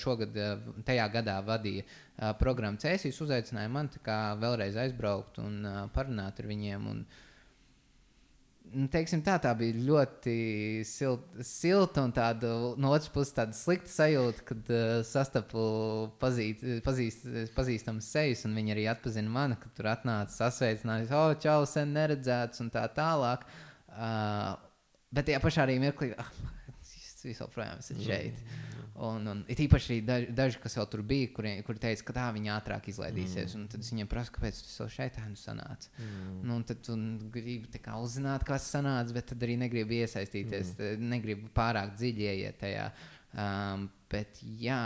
šogad, tajā gadā vadīja programmu Cēsīs, uzaicināja man tā kā vēlreiz aizbraukt un parunāt ar viņiem. Un, teiksim tā bija ļoti silta un tāda, no otras puses tāda slikta sajūta, kad sastapu pazīstamas sejas, un viņi arī atpazina mani, kad tur atnāca sasveicinājis, čau, sen neredzēts un tā tālāk. Bet tajā pašā arī mirklī, visu joprojām esat šeit. Un it īpaši daži, kas vēl tur bija, kuri teica, ka tā viņi ātrāk izlaidīsies. Un tad es viņiem prasu, kāpēc tu vēl šeit sanāca. Un tad tu gribi tā kā uzzināt, kas sanāca, bet tad arī negribi iesaistīties, negribi pārāk dziļi ieiet tajā. Bet jā,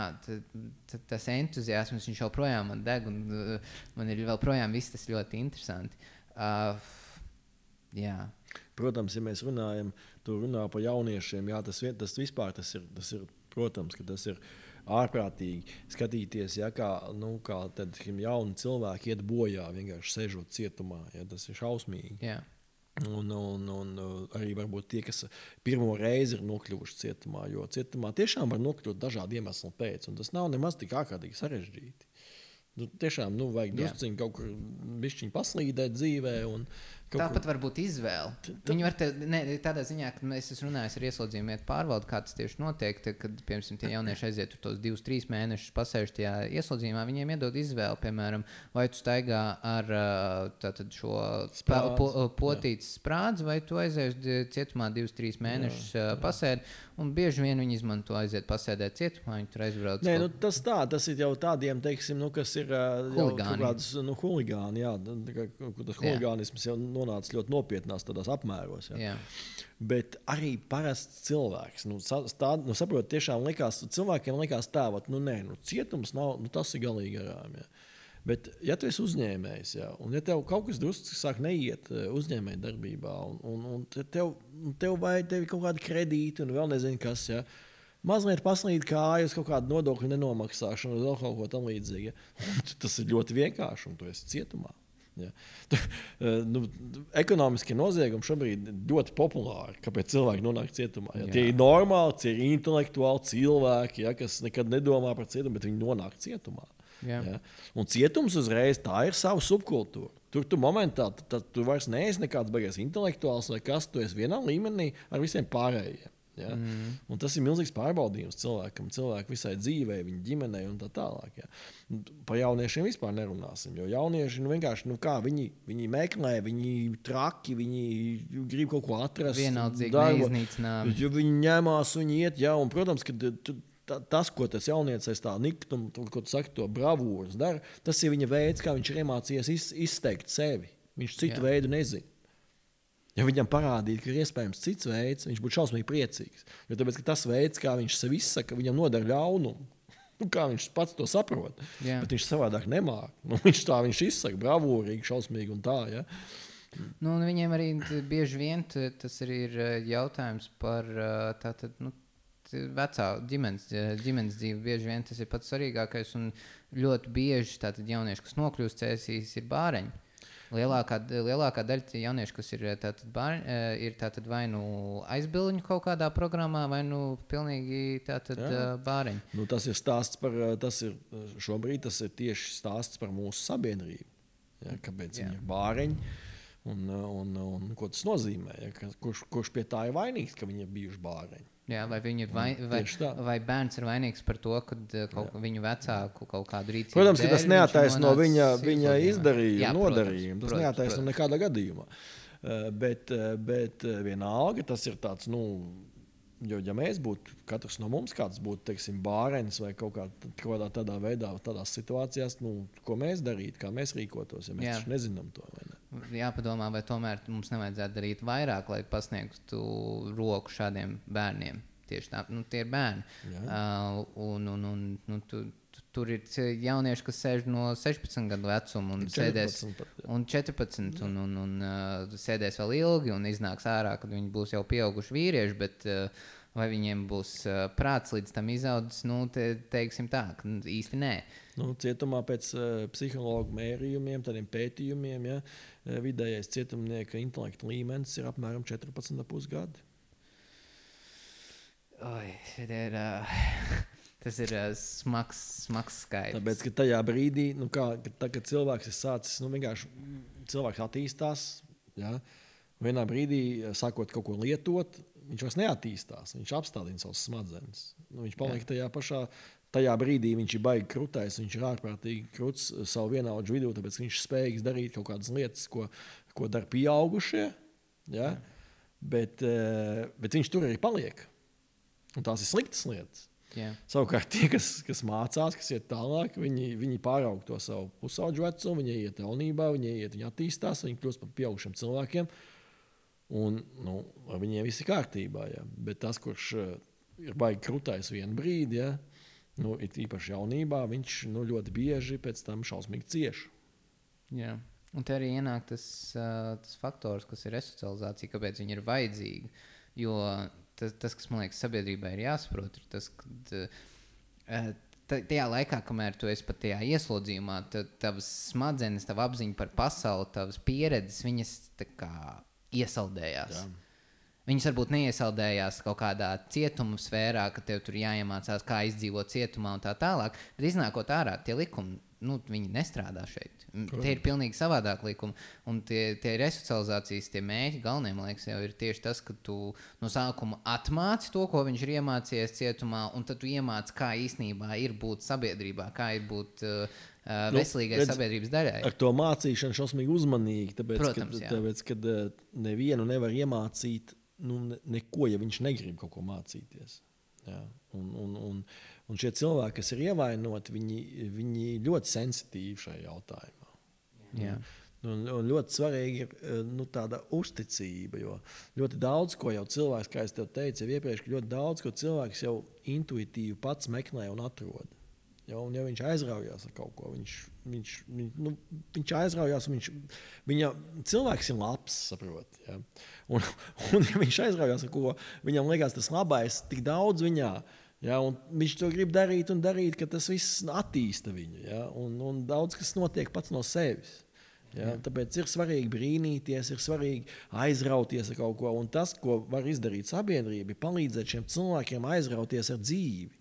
tas entuziasms, viņš joprojām man deg, un man ir vēl projām viss tas ļoti interesanti. Jā. Protams, ja mēs runājam, tu runā par jauniešiem, jā, tas vispār tas ir, protams, ka tas ir ārprātīgi skatīties, ja, kā tad jauni cilvēki iet bojā, vienkārši sēžot cietumā, ja, tas ir šausmīgi. Jā. Un arī varbūt tie, kas pirmo reizi ir nokļuvuši cietumā, jo cietumā tiešām var nokļūt dažādu iemeslu pēc, un tas nav nemaz tik ārkārtīgi sarežģīti. Tiešām vajag drusciņu kaut kur bišķiņu paslīdēt dzīvē. Tāpat var būt izvēle. Viņi var tādā ziņā, ka es esmu runājis ar ieslodzījumietu pārvaldu, kā tas tieši notiek, kad, piemēram, tie jaunieši aiziet tur tos 2-3 mēnešus pasēž tajā ieslodzījumu, viņiem iedod izvēli, piemēram, vai tu staigā ar šo potītas sprādzi, vai tu aizies cietumā 2-3 mēnešus pasēdi, un bieži vien viņi izmanto aiziet pasēdēt cietumā, viņi tur aizbrauc. Nē, tas ir jau tādiem, teiksim, kas ir huligāni, jā, tas huligānisms jau nonāca ļoti nopietnās tādās apmēros. Jā. Bet arī parasts cilvēks. Saprot, tiešām cilvēkiem likās tā, cietums nav, tas ir galīgi garām. Jā. Bet, ja tu esi uzņēmējs, jā, un ja tev kaut kas drusku sāk neiet uzņēmēja darbībā, un tev vajag kaut kādu kredītu un vēl nezinu kas, jā, mazliet paslīd kājas kaut kādu nodokļu nenomaksāšanu, vēl kaut ko tam līdzīgi. Tas ir ļoti vienkārši, un tu esi cietumā. Ja. Ekonomiskie noziegumi šobrīd ļoti populāri, kāpēc cilvēki nonāk cietumā. Ja. Tie ir normāli, tie ir intelektuāli cilvēki, ja, kas nekad nedomā par cietumu, bet viņi nonāk cietumā. Ja. Un cietums uzreiz tā ir sava subkultūra. Tur tu momentā tu vairs neesi nekāds baigais intelektuāls vai kas, tu esi vienā līmenī ar visiem pārējiem. Ja? Un tas ir milzīgs pārbaudījums cilvēkam, cilvēku visai dzīvei, viņa ģimenei un tā tālāk. Ja? Par jauniešiem vispār nerunāsim, jo jaunieši vienkārši, kā viņi meklē, viņi traki, viņi grib kaut ko atrast. Vienaldzīgi neiznīcinām. Viņi ņemās, viņi iet, ja, un, protams, ka tas, ko tas jauniecis tā niktum, ko tu saki, to bravūras dara, tas ir viņa veids, kā viņš ir iemācījies izteikt sevi. Viņš citu veidu nezina. Ja viņam parādītu, ka ir iespējams cits veids, viņš būtu šausmīgi priecīgs. Jo tāpēc, ka tas veids, kā viņš sev izsaka, viņam nodara ļaunumu. Kā viņš pats to saprot. Bet viņš savādāk nemāk. Viņš izsaka bravūrīgi, šausmīgi un tā. Ja? Nu, viņiem arī bieži vien tas arī ir jautājums par tātad, vecā ģimenes dzīve. Bieži vien tas ir pats svarīgākais, un ļoti bieži tātad jaunieši, kas nokļūst cēsīs, ir bāreņi. Lielākā daļa jauniešu, kas ir tātad vai nu aizbilņu kaut kādā programmā, vai nu pilnīgi tātad bāreņi. Nu, tas ir stāsts šobrīd tas ir tieši stāsts par mūsu sabiedrību. Ja, kāpēc viņi ir bāreņi un ko tas nozīmē? Ja, kurš pie tā ir vainīgs, ka viņi ir bijuši bāreņi? Jā, vai bērns ir vainīgs par to, ka viņu vecāku kaut kādu rīcību. Protams, ka tas neattaisno viņa izdarījumu, nodarījumu. Tas neattaisno nekādā gadījumā. Bet vienalga tas ir tāds, jo ja mēs būtu, katrs no mums kāds būtu, teiksim, bārenis vai kaut kādā tādā veidā, tādās situācijās, ko mēs darītu, kā mēs rīkotos, ja mēs taču nezinām to, vai ne? Jāpadomā, vai tomēr mums nevajadzētu darīt vairāk, lai pasniegtu roku šādiem bērniem. Tieši tā, tie ir bērni. Tur ir jaunieši, kas sēž no 16 gadu vecuma un sēdēs un 14 un sēdēs vēl ilgi un iznāks ārā, kad viņi būs jau pieauguši vīrieši, bet vai viņiem būs prāts līdz tam izaudzis, teiksim tā, īsti nē. Cietumā pēc psihologu mērījumiem, tādiem pētījumiem, vidējais cietumnieka intelekta līmenis ir apmēram 14,5 gadi. Tas ir smags skaidrs. Tāpēc, ka tajā brīdī, kad cilvēks ir sācis, vienkārši cilvēks attīstās, vienā brīdī sākot kaut ko lietot, viņš vairs neattīstās, viņš apstādina savas smadzenes. Viņš paliek tajā brīdī, viņš ir baigi krutais, viņš ir ārprātīgi kruts savu vienaudžu vidū, tāpēc viņš ir spējīgs darīt kaut kādas lietas, ko dara pieaugušie, bet viņš tur arī paliek. Un tās ir sliktas lietas. Savukārt tie, kas mācās, kas iet tālāk, viņi pāraug to savu pusaudžu vecumu, viņi iet jaunībā, viņi attīstās, viņi kļūst par pieaugušiem cilvēkiem. Un ar viņiem viss ir kārtībā. Ja. Bet tas, kurš ir baigi krutais vienu brīdi, ir īpaši jaunībā, viņš ļoti bieži pēc tam šausmīgi cieš. Jā. Un te arī ienāk tas faktors, kas ir resocializācija, kāpēc viņi ir vajadzīgi. Jo tas, kas man liekas sabiedrībai ir jāsaprot, ir tas, ka tajā laikā, kamēr tu esi pat tajā ieslodzījumā, tavas smadzenes, tava apziņa par pasauli, tavas pieredzes, viņas tā kā iesaldējās. Jā. Viņas varbūt neiesaldējās kaut kādā cietuma sfērā, ka tev tur jāiemācās, kā izdzīvot cietumā un tā tālāk, bet iznākot ārā, tie likumi, viņi nestrādā šeit. Tie ir pilnīgi savādāk likumi. Un tie resocializācijas, tie mēķi galvenie, man liekas, jau ir tieši tas, ka tu no sākuma atmāci to, ko viņš ir iemācījies cietumā, un tad tu iemāci, kā īstenībā ir būt sabiedrībā, kā ir būt veselīgai sabiedrības daļai. Ar to mācīšanu šausmīgi uzmanīgi, tāpēc, kad nevienu nevar iemācīt neko, ja viņš negrib kaut ko mācīties. Jā. Un šie cilvēki, kas ir ievainoti, viņi ļoti sensitīvi šajā jautājumā. Jā. Un ļoti svarīgi ir tāda uzticība, jo ļoti daudz, ko jau cilvēks, kā es tev teicu jau iepriekš, ļoti daudz, ko cilvēks jau intuitīvi pats meklē un atrod. Un ja viņš aizraujās ar kaut ko, viņš aizraujās, cilvēks ir labs, saprot. Ja? Un ja viņš aizraujās ar ko, viņam liekas tas labais tik daudz viņā, ja? Un viņš to grib darīt un darīt, ka tas viss attīsta viņu. Ja? Un daudz kas notiek pats no sevis. Ja? Tāpēc ir svarīgi brīnīties, ir svarīgi aizrauties ar kaut ko. Un tas, ko var izdarīt sabiedrība, ir palīdzēt šiem cilvēkiem aizrauties ar dzīvi.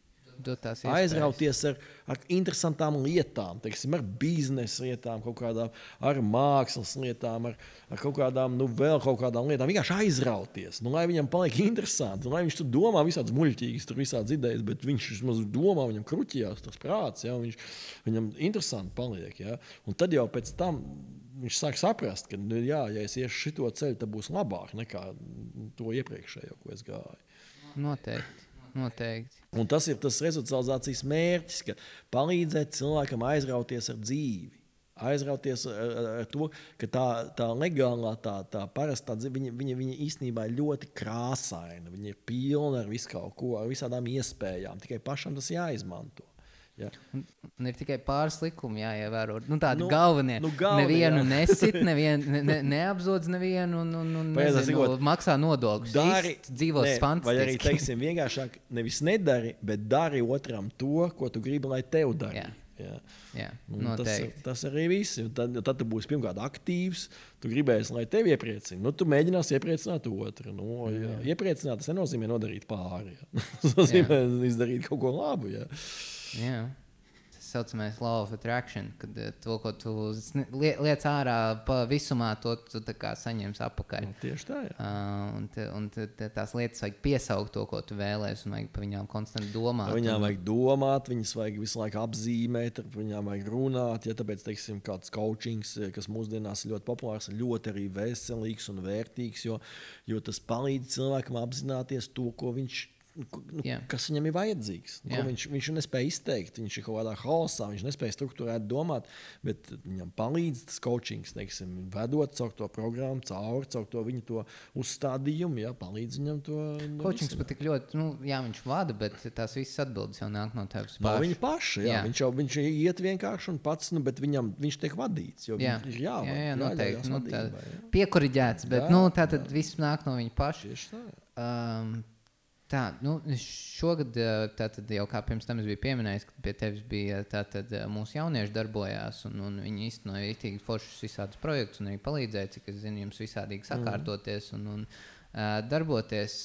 Aizrauties ar interesantām lietām, teiksim, ar biznesa lietām, kaut kādām, ar mākslas lietām, ar kaut kādām, vēl kaut kādām lietām. Vienkārši aizrauties, lai viņam paliek interesanti, lai viņš tur domā visādas muļķīgas, tur visādas idejas, bet viņš vismaz domā, viņam kruķījās tas prāts, ja, viņam interesanti paliek. Ja. Un tad jau pēc tam viņš sāk saprast, ka, ja es iešu šito ceļu, tad būs labāk nekā to iepriekšējo, ko es gāju. Noteikti. Un tas ir tas resocializācijas mērķis, ka palīdzēt cilvēkam aizrauties ar dzīvi. Aizrauties ar to, ka tā legālā, tā parastā dzīve, viņa īstenībā ir ļoti krāsaina. Viņa ir pilna ar visu kaut ko, ar visādām iespējām. Tikai pašam tas jāizmanto. Ja. Un ir tikai pāris likumi jāievēro. Galvenie. Nevienu nesit, neapzodz nevienu un maksā nodokļus. Dzīvos fantastiski. Vai arī, teiksim, vienkāršāk nevis nedari, bet dari otram to, ko tu gribi, lai tev dara. Jā, tas arī viss. Tad tu būsi pirmkārt aktīvs, tu gribēsi, lai tevi iepriecina. Tu mēģināsi iepriecināt otru. Iepriecināt, tas nenozīmē nodarīt pāri. Tas nozīmē izdarīt kaut ko labu. Jā. Tas saucamais law of attraction, kad to, ko tu liec ārā pa visumā, to tu tā kā saņems apakaļ. Tieši tā, jā. Un tās lietas vajag piesaukt to, ko tu vēlēsi, un vajag pa viņām konstanti domāt. Viņām vajag domāt, viņas vajag visu laiku apzīmēt, viņām vajag runāt, ja tāpēc, teiksim, kāds coachings, kas mūsdienās ir ļoti populārs, ir ļoti arī veselīgs un vērtīgs, jo tas palīdz cilvēkam apzināties to, ko viņš kas viņam ir vajadzīgs. Viņš nespēja izteikt, viņš ir kaut kādā haosā, viņš nespēja strukturēt domāt, bet viņam palīdz tas coachings, teiksim, vedot caur to programmu, caur to viņu to uzstādījumu, palīdz viņam to coachings pat tik ļoti, viņš vada, bet tās visas atbildes jau nāk no tevis paša. No viņa paša, viņš iet vienkārši un pats, bet viņš tiek vadīts, jo viņš ir noteikti. Piekoriģēts, bet tātad viss nāk no viņa paša. Tieši tā. Šogad, jau kā pirms tam es biju pieminējis, ka pie tevis bija mūsu jaunieši darbojās, un viņi īstenoja itīgi foršus visādus projektus, un arī palīdzēja, cik es zinu, jums visādīgi sakārtoties un darboties.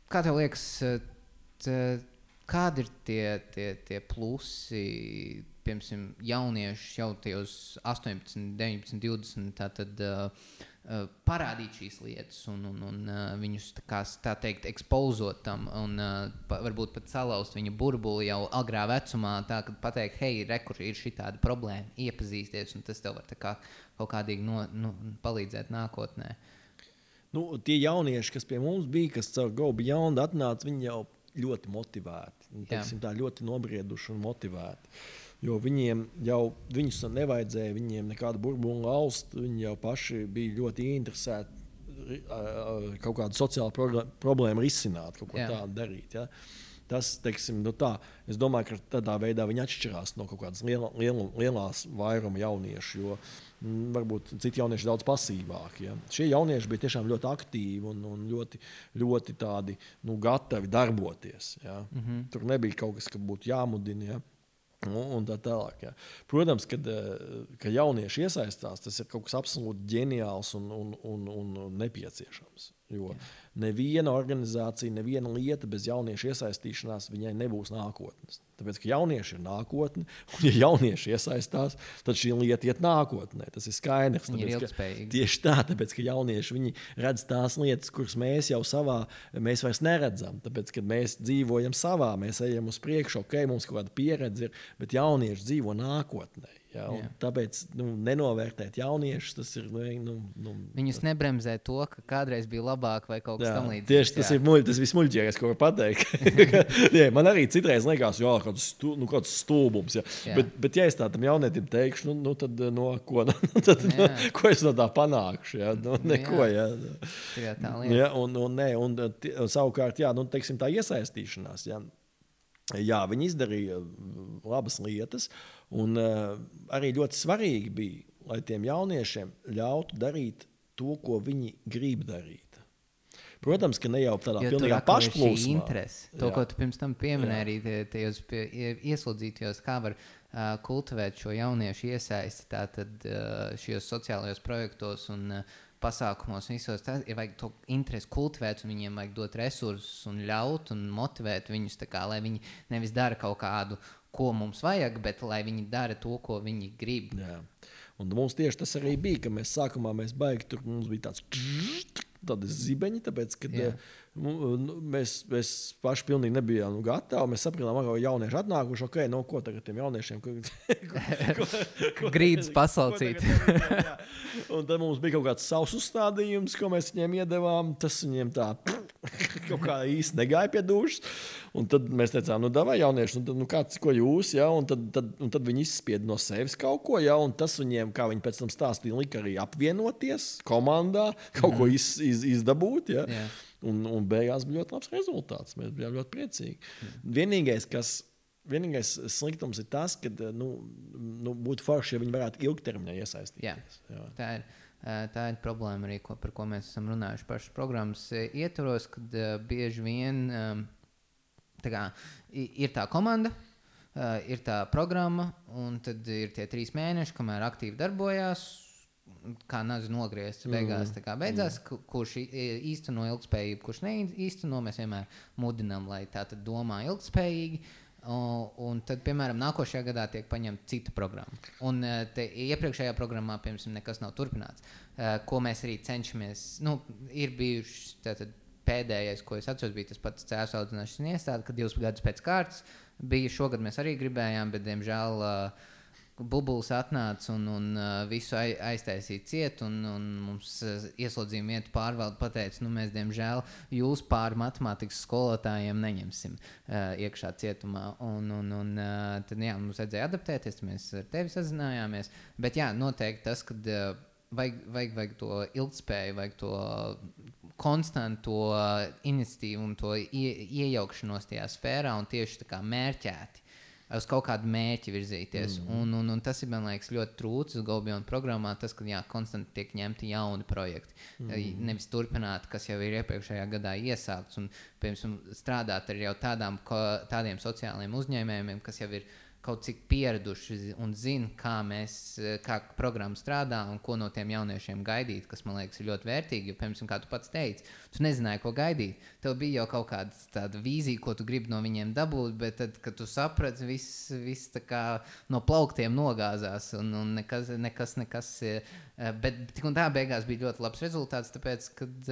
Kā tev liekas, kādi ir tie plusi, piemēram, jaunieši jau tajos 18, 19, 20, tātad parādīt šīs lietas un viņus tā teikt ekspozot tam un varbūt pat salauzt viņa burbuli jau agrā vecumā, tā kad pateikt, hei, rekur ir šī tāda problēma, iepazīsties, un tas tev var tā kā kaut kādīgi palīdzēt nākotnē. Tie jaunieši, kas pie mums bija, kas caur Go Beyond atnāca, viņi jau ļoti motivēti, teiksim, tā ļoti nobrieduši un motivēti. Jo viņus nevajadzēja, viņiem nekādu burbuli laust, viņi jau paši bija ļoti ieinteresēti kaut kādu sociālu problēmu risināt, kaut ko tādu darīt. Ja? Tas, teiksim, es domāju, ka tādā veidā viņi atšķirās no kaut kādas lielās vairuma jauniešu, jo varbūt citi jaunieši daudz pasīvāki. Ja? Šie jaunieši bija tiešām ļoti aktīvi un ļoti, ļoti tādi, gatavi darboties. Ja? Tur nebija kaut kas, ka būtu jāmudina. Ja? Un tā tālāk. Ja. Protams, kad jaunieši iesaistās, tas ir kaut kas absolūti ģeniāls un nepieciešams. Jo neviena organizācija, neviena lieta bez jauniešu iesaistīšanās viņai nebūs nākotnes. Tāpēc, ka jaunieši ir nākotne, un ja jaunieši iesaistās, tad šī lieta iet nākotnē. Tas ir skaidrs. Tieši tā, tāpēc, ka jaunieši viņi redz tās lietas, kuras mēs vairs neredzam. Tāpēc, kad mēs dzīvojam savā, mēs ejam uz priekšu, mums kaut kāda pieredze ir, bet jaunieši dzīvo nākotnē. Ja, tāpēc nenovērtēt jauniešus, tas ir... Viņus nebremzē to, ka kādreiz bija labāk vai kaut kas tam līdzīgs. Tieši tas ir vismuļķīgākais, ko var pateikt. Man arī citreiz liekas, kāds stulbums. Ja. Bet ja es tādam jaunietim teikšu, tad ko es no tā panākšu? Ja? Neko. Ja. Tā lieta. Savukārt, teiksim, tā iesaistīšanās. Ja. Viņi izdarīja labas lietas, un arī ļoti svarīgi bija, lai tiem jauniešiem ļautu darīt to, ko viņi grib darīt. Protams, ka ne jau tādā pilnīgā pašplūsmā. To, ko tu pirms tam pieminēji arī tajos ieslodzītajos, kā var kultivēt šo jauniešu iesaisti tātad šajos sociālajos projektos un pasākumos visos. Tā ir vajag to interesi kultivēt, un viņiem vajag dot resursus un ļaut un motivēt viņus tā kā, lai viņi nevis dara kaut kādu, ko mums vajag, bet lai viņi dara to, ko viņi grib. Jā. Un mums tieši tas arī bija, ka mēs sākumā baigi tur, mums bija tādi zibeņi, tāpēc, kad mēs paši pilnīgi nebijām gatavi. Mēs sapratām, ka jaunieši atnākuši, ok, no ko tagad tiem jauniešiem? Grīdas pasalcīt. Un tad mums bija kaut kāds savs uzstādījums, ko mēs viņiem iedevām. Tas viņiem tā kaut kā īsti negāja pie dušas. Un tad mēs teicām, nu, davai jaunieši, kāds, ko jūs, ja? Un tad viņi izspieda no sevis kaut ko, ja? Un tas viņiem, kā viņi pēc tam stāstīja, lika arī apvienoties komandā, kaut ko izdabūt, ja? Yeah. Un beigās bija ļoti labs rezultāts. Mēs bijām ļoti priecīgi. Vienīgais sliktums ir tas, ka būtu forši, ja viņi varētu ilgtermiņā iesaistīties. Jā. Tā ir problēma arī, par ko mēs esam runājuši pašas programmas ietvaros, kad bieži vien ir tā komanda, ir tā programma, un tad ir tie 3 mēneši, kamēr aktīvi darbojās, kā nazi nogriezts beigās. Beidzās, kurš īsteno ilgspējību, kurš neīsteno, mēs vienmēr mudinām, lai tā tad domā ilgspējīgi. Un tad, piemēram, nākošajā gadā tiek paņemta cita programma. Un iepriekšējā programmā, piemēram, nekas nav turpināts. Ko mēs arī cenšamies, ir bijuši pēdējais, ko es atceros, bija tas pats cēsu audzināšanas iestāde, kad 2 gadus pēc kārtas bija. Šogad mēs arī gribējām, bet, diemžēl, bubulis atnāca un visu aiztaisīja ciet, un mums ieslodzījuma vietu pārvalde pateica, mēs, diemžēl, jūs pāri matemātikas skolotājiem neņemsim iekšā cietumā. Tad, mums vajadzēja adaptēties, mēs ar tevi sazinājāmies. Bet, noteikti tas, kad vajag to ilgspēju, vajag to konstanto iniciatīvu un to iejaukšanos tajā sfērā un tieši tā kā mērķēti uz kaut kādu mērķi virzīties. Un tas ir, man liekas, ļoti trūcis Golbiona programmā, tas, ka konstanti tiek ņemti jauni projekti. Nevis turpināt, kas jau ir iepriekšējā gadā iesākts, un, piemēram, strādāt ar jau tādiem sociāliem uzņēmējiem, kas jau ir kaut cik pieraduši un zina, kā programma strādā un ko no tiem jauniešiem gaidīt, kas, man liekas, ir ļoti vērtīgi. Jo, piemēram, kā tu pats teici, tu nezināji, ko gaidīt. Tev bija jau kaut kāda tāda vīzija, ko tu gribi no viņiem dabūt, bet tad, kad tu saprati, viss tā kā no plauktiem nogāzās un nekas. Bet tik un tā beigās bija ļoti labs rezultāts, tāpēc, kad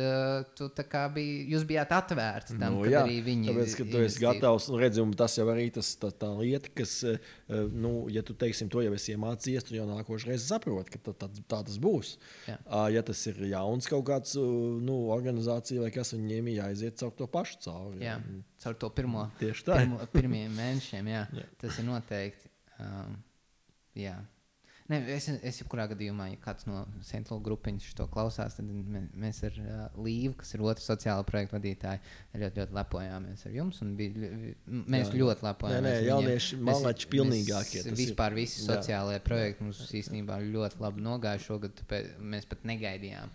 jūs bijāt atvērti tam, kad arī viņi... Tāpēc, ka tu esi gatavs, redzi, un tas jau arī tā lieta, kas, ja tu, teiksim, to jau esi iemācījies, tu jau nākošreiz saproti, ka tā tas būs. Jā. Ja tas ir jauns kaut kāds, organizācija vai kas, viņiem jāiziet caur to pašu cauri. Jā, caur to pirmiem mēnešiem, jā. Tas ir noteikti. Jā. Ne, es jebkurā gadījumā, ja kāds no Central grupiņas to klausās, tad mēs ar Līvu, kas ir otrs sociāla projekta vadītāji, ļoti, ļoti lepojāmies ar jums. Mēs ļoti lepojāmies. Nē, jaunieši malači pilnīgākie. Vispār visi sociālajie projekti mums īstenībā ļoti labi nogāja šogad, mēs pat negaidījām.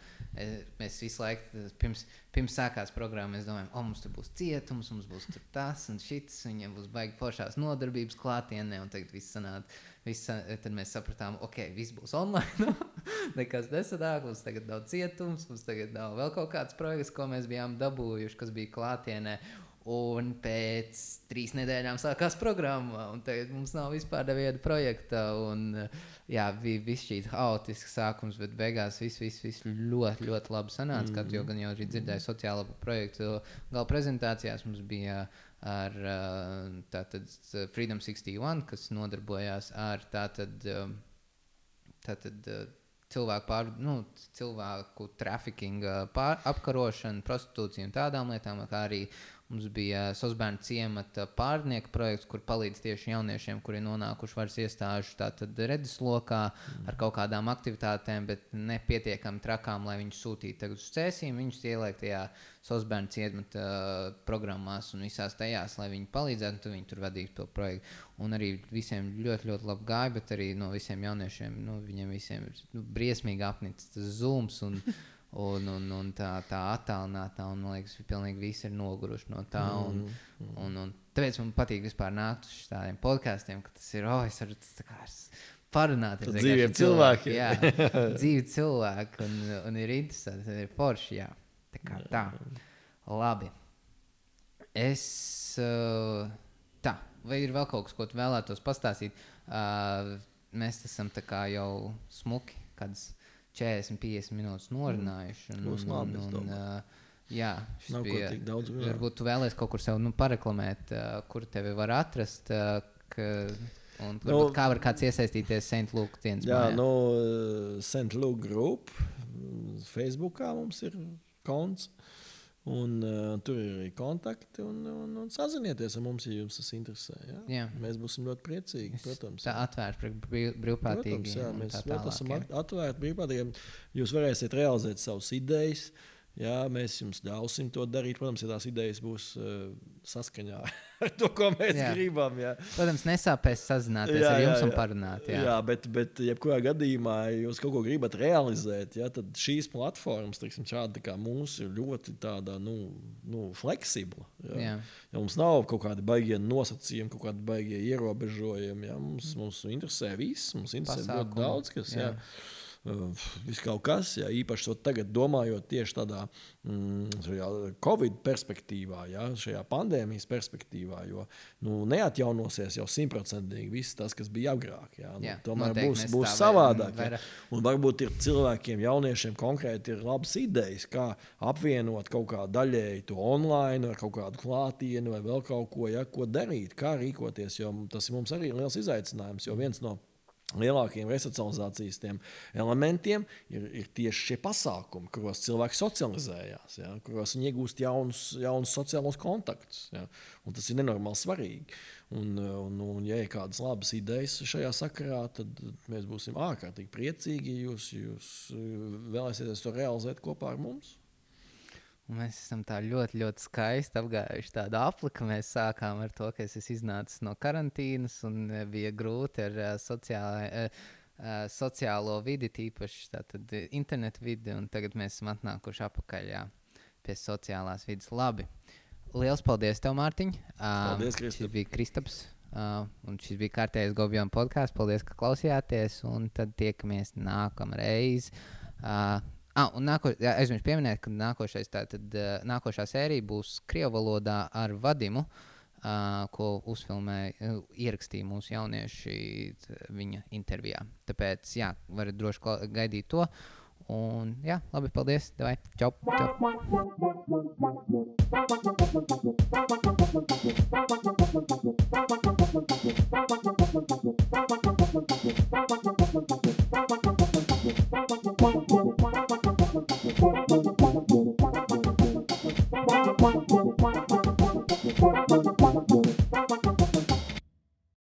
Mēs visu laiku, pirms sākās programma, mēs domājam, mums tur būs cietums, mums būs tur tas un šits, viņiem būs baigi foršās nodarbības klātienē, un tagad viss sanāk. Tad mēs sapratām, viss būs online, nekas nesanāk, mums tagad nav cietums, mums tagad nav vēl kaut kāds projekts, ko mēs bijām dabūjuši, kas bija klātienē. Un pēc 3 nedēļām sākās programma, un tagad mums nav vispār neviena projekta. Bija viss šīs haotisks sākums, bet beigās viss ļoti, ļoti labi sanāca. Kā tu jau arī dzirdēji sociālo projektu gala prezentācijās, mums bija ar tātad Freedom 61, kas nodarbojās ar tātad cilvēku trafikingu apkarošanu, prostitūciju un tādām lietām, kā arī mums bija Sosbērnu ciemata pārnieku projekts, kur palīdz tieši jauniešiem, kuri nonākuši varas iestāžu redzeslokā ar kaut kādām aktivitātēm, bet nepietiekami trakām, lai viņus sūtītu tagad uz cēsīm. Viņus ieliek tajā Sosbērnu ciemata programmās un visās tajās, lai viņi palīdzētu, un tad viņi tur vadītu to projektu. Un arī visiem ļoti, ļoti labi gāja, bet arī no visiem jauniešiem, viņiem visiem ir briesmīgi apnicis tas Zooms un tā attālinātā, un man liekas, pilnīgi visi ir noguruši no tā. Un tāpēc man patīk vispār nākt uz tādiem podkāstiem, ka tas ir, es varu parunāties. Dzīviem cilvēkiem. Jā, dzīvi cilvēki, un ir interesanti, ir forši, jā. Tā. Labi. Vai ir vēl kaut kas, ko tu vēlētos pastāstīt? Mēs esam tā kā jau smuki, kādas 40-50 minūtes norunājuši. Jā, šis bija. Varbūt tu vēlies kaut kur sev pareklamēt, kur tevi var atrast, un kā var kāds iesaistīties St. Luke dienas mājā? Jā, St. Luke Group. Facebookā mums ir konts. Un tur ir arī kontakti un sazinieties ar mums, ja jums tas interesē. Jā? Mēs būsim ļoti priecīgi, protams. Tā atvērts brīvprātīgi. Protams, jā, mēs esam atvērti brīvprātīgiem. Jūs varēsiet realizēt savas idejas. Jā, mēs jums ļausim to darīt. Protams, ja tās idejas būs saskaņā ar to, ko mēs gribam. Jā. Protams, nesāpēs sazināties ar jums un parunāt. Jā, bet jebkurā gadījumā, ja jūs kaut ko gribat realizēt, tad šīs platformas, teiksim, šāda kā mūsu, ir ļoti tāda, fleksibla. Jā. Ja mums nav kaut kādi baigie nosacījumi, kaut kādi baigie ierobežojumi. Jā. Mums interesē viss, mums interesē ļoti daudz, kas. Jā. Viss kaut kas, īpaši tagad domājot tieši tādā Covid perspektīvā, šajā pandēmijas perspektīvā, jo neatjaunosies jau 100% viss tas, kas bija agrāk. Tomēr būs savādāk. Un varbūt ir cilvēkiem, jauniešiem konkrēti ir labas idejas, kā apvienot kaut kā daļēji to online ar kaut kādu klātienu vai vēl kaut ko, ko darīt, kā rīkoties, jo tas mums arī ir liels izaicinājums, jo viens no lielākiem resocializācijas elementiem ir tieši šie pasākumi, kuros cilvēki socializējās, kuros viņi iegūst jaunus sociālos kontaktus. Un tas ir nenormāli svarīgi. Un ja ir kādas labas idejas šajā sakarā, tad mēs būsim ārkārtīgi priecīgi, ja jūs vēlēsieties to realizēt kopā ar mums. Un mēs esam tā ļoti, ļoti skaisti apgājuši tādu apli, ka mēs sākām ar to, ka es esmu iznācis no karantīnas un bija grūti ar sociālo vidi, tīpaši tātad internetu vidi, un tagad mēs esam atnākuši apakaļ pie sociālās vidas. Labi. Liels paldies tev, Mārtiņ. Paldies, Kristap. Šis bija Kristaps, un šis bija kārtējais Gobjona podcasts. Paldies, ka klausījāties, un tad tiekamies nākamreiz. Un aizmirsu pieminēt, ka nākošā sērija būs krievu valodā ar Vadimu, ko ierakstīja mūsu jaunieši viņa intervijā. Tāpēc, varat droši gaidīt to. Un, labi, paldies. Davai, čau. Čau.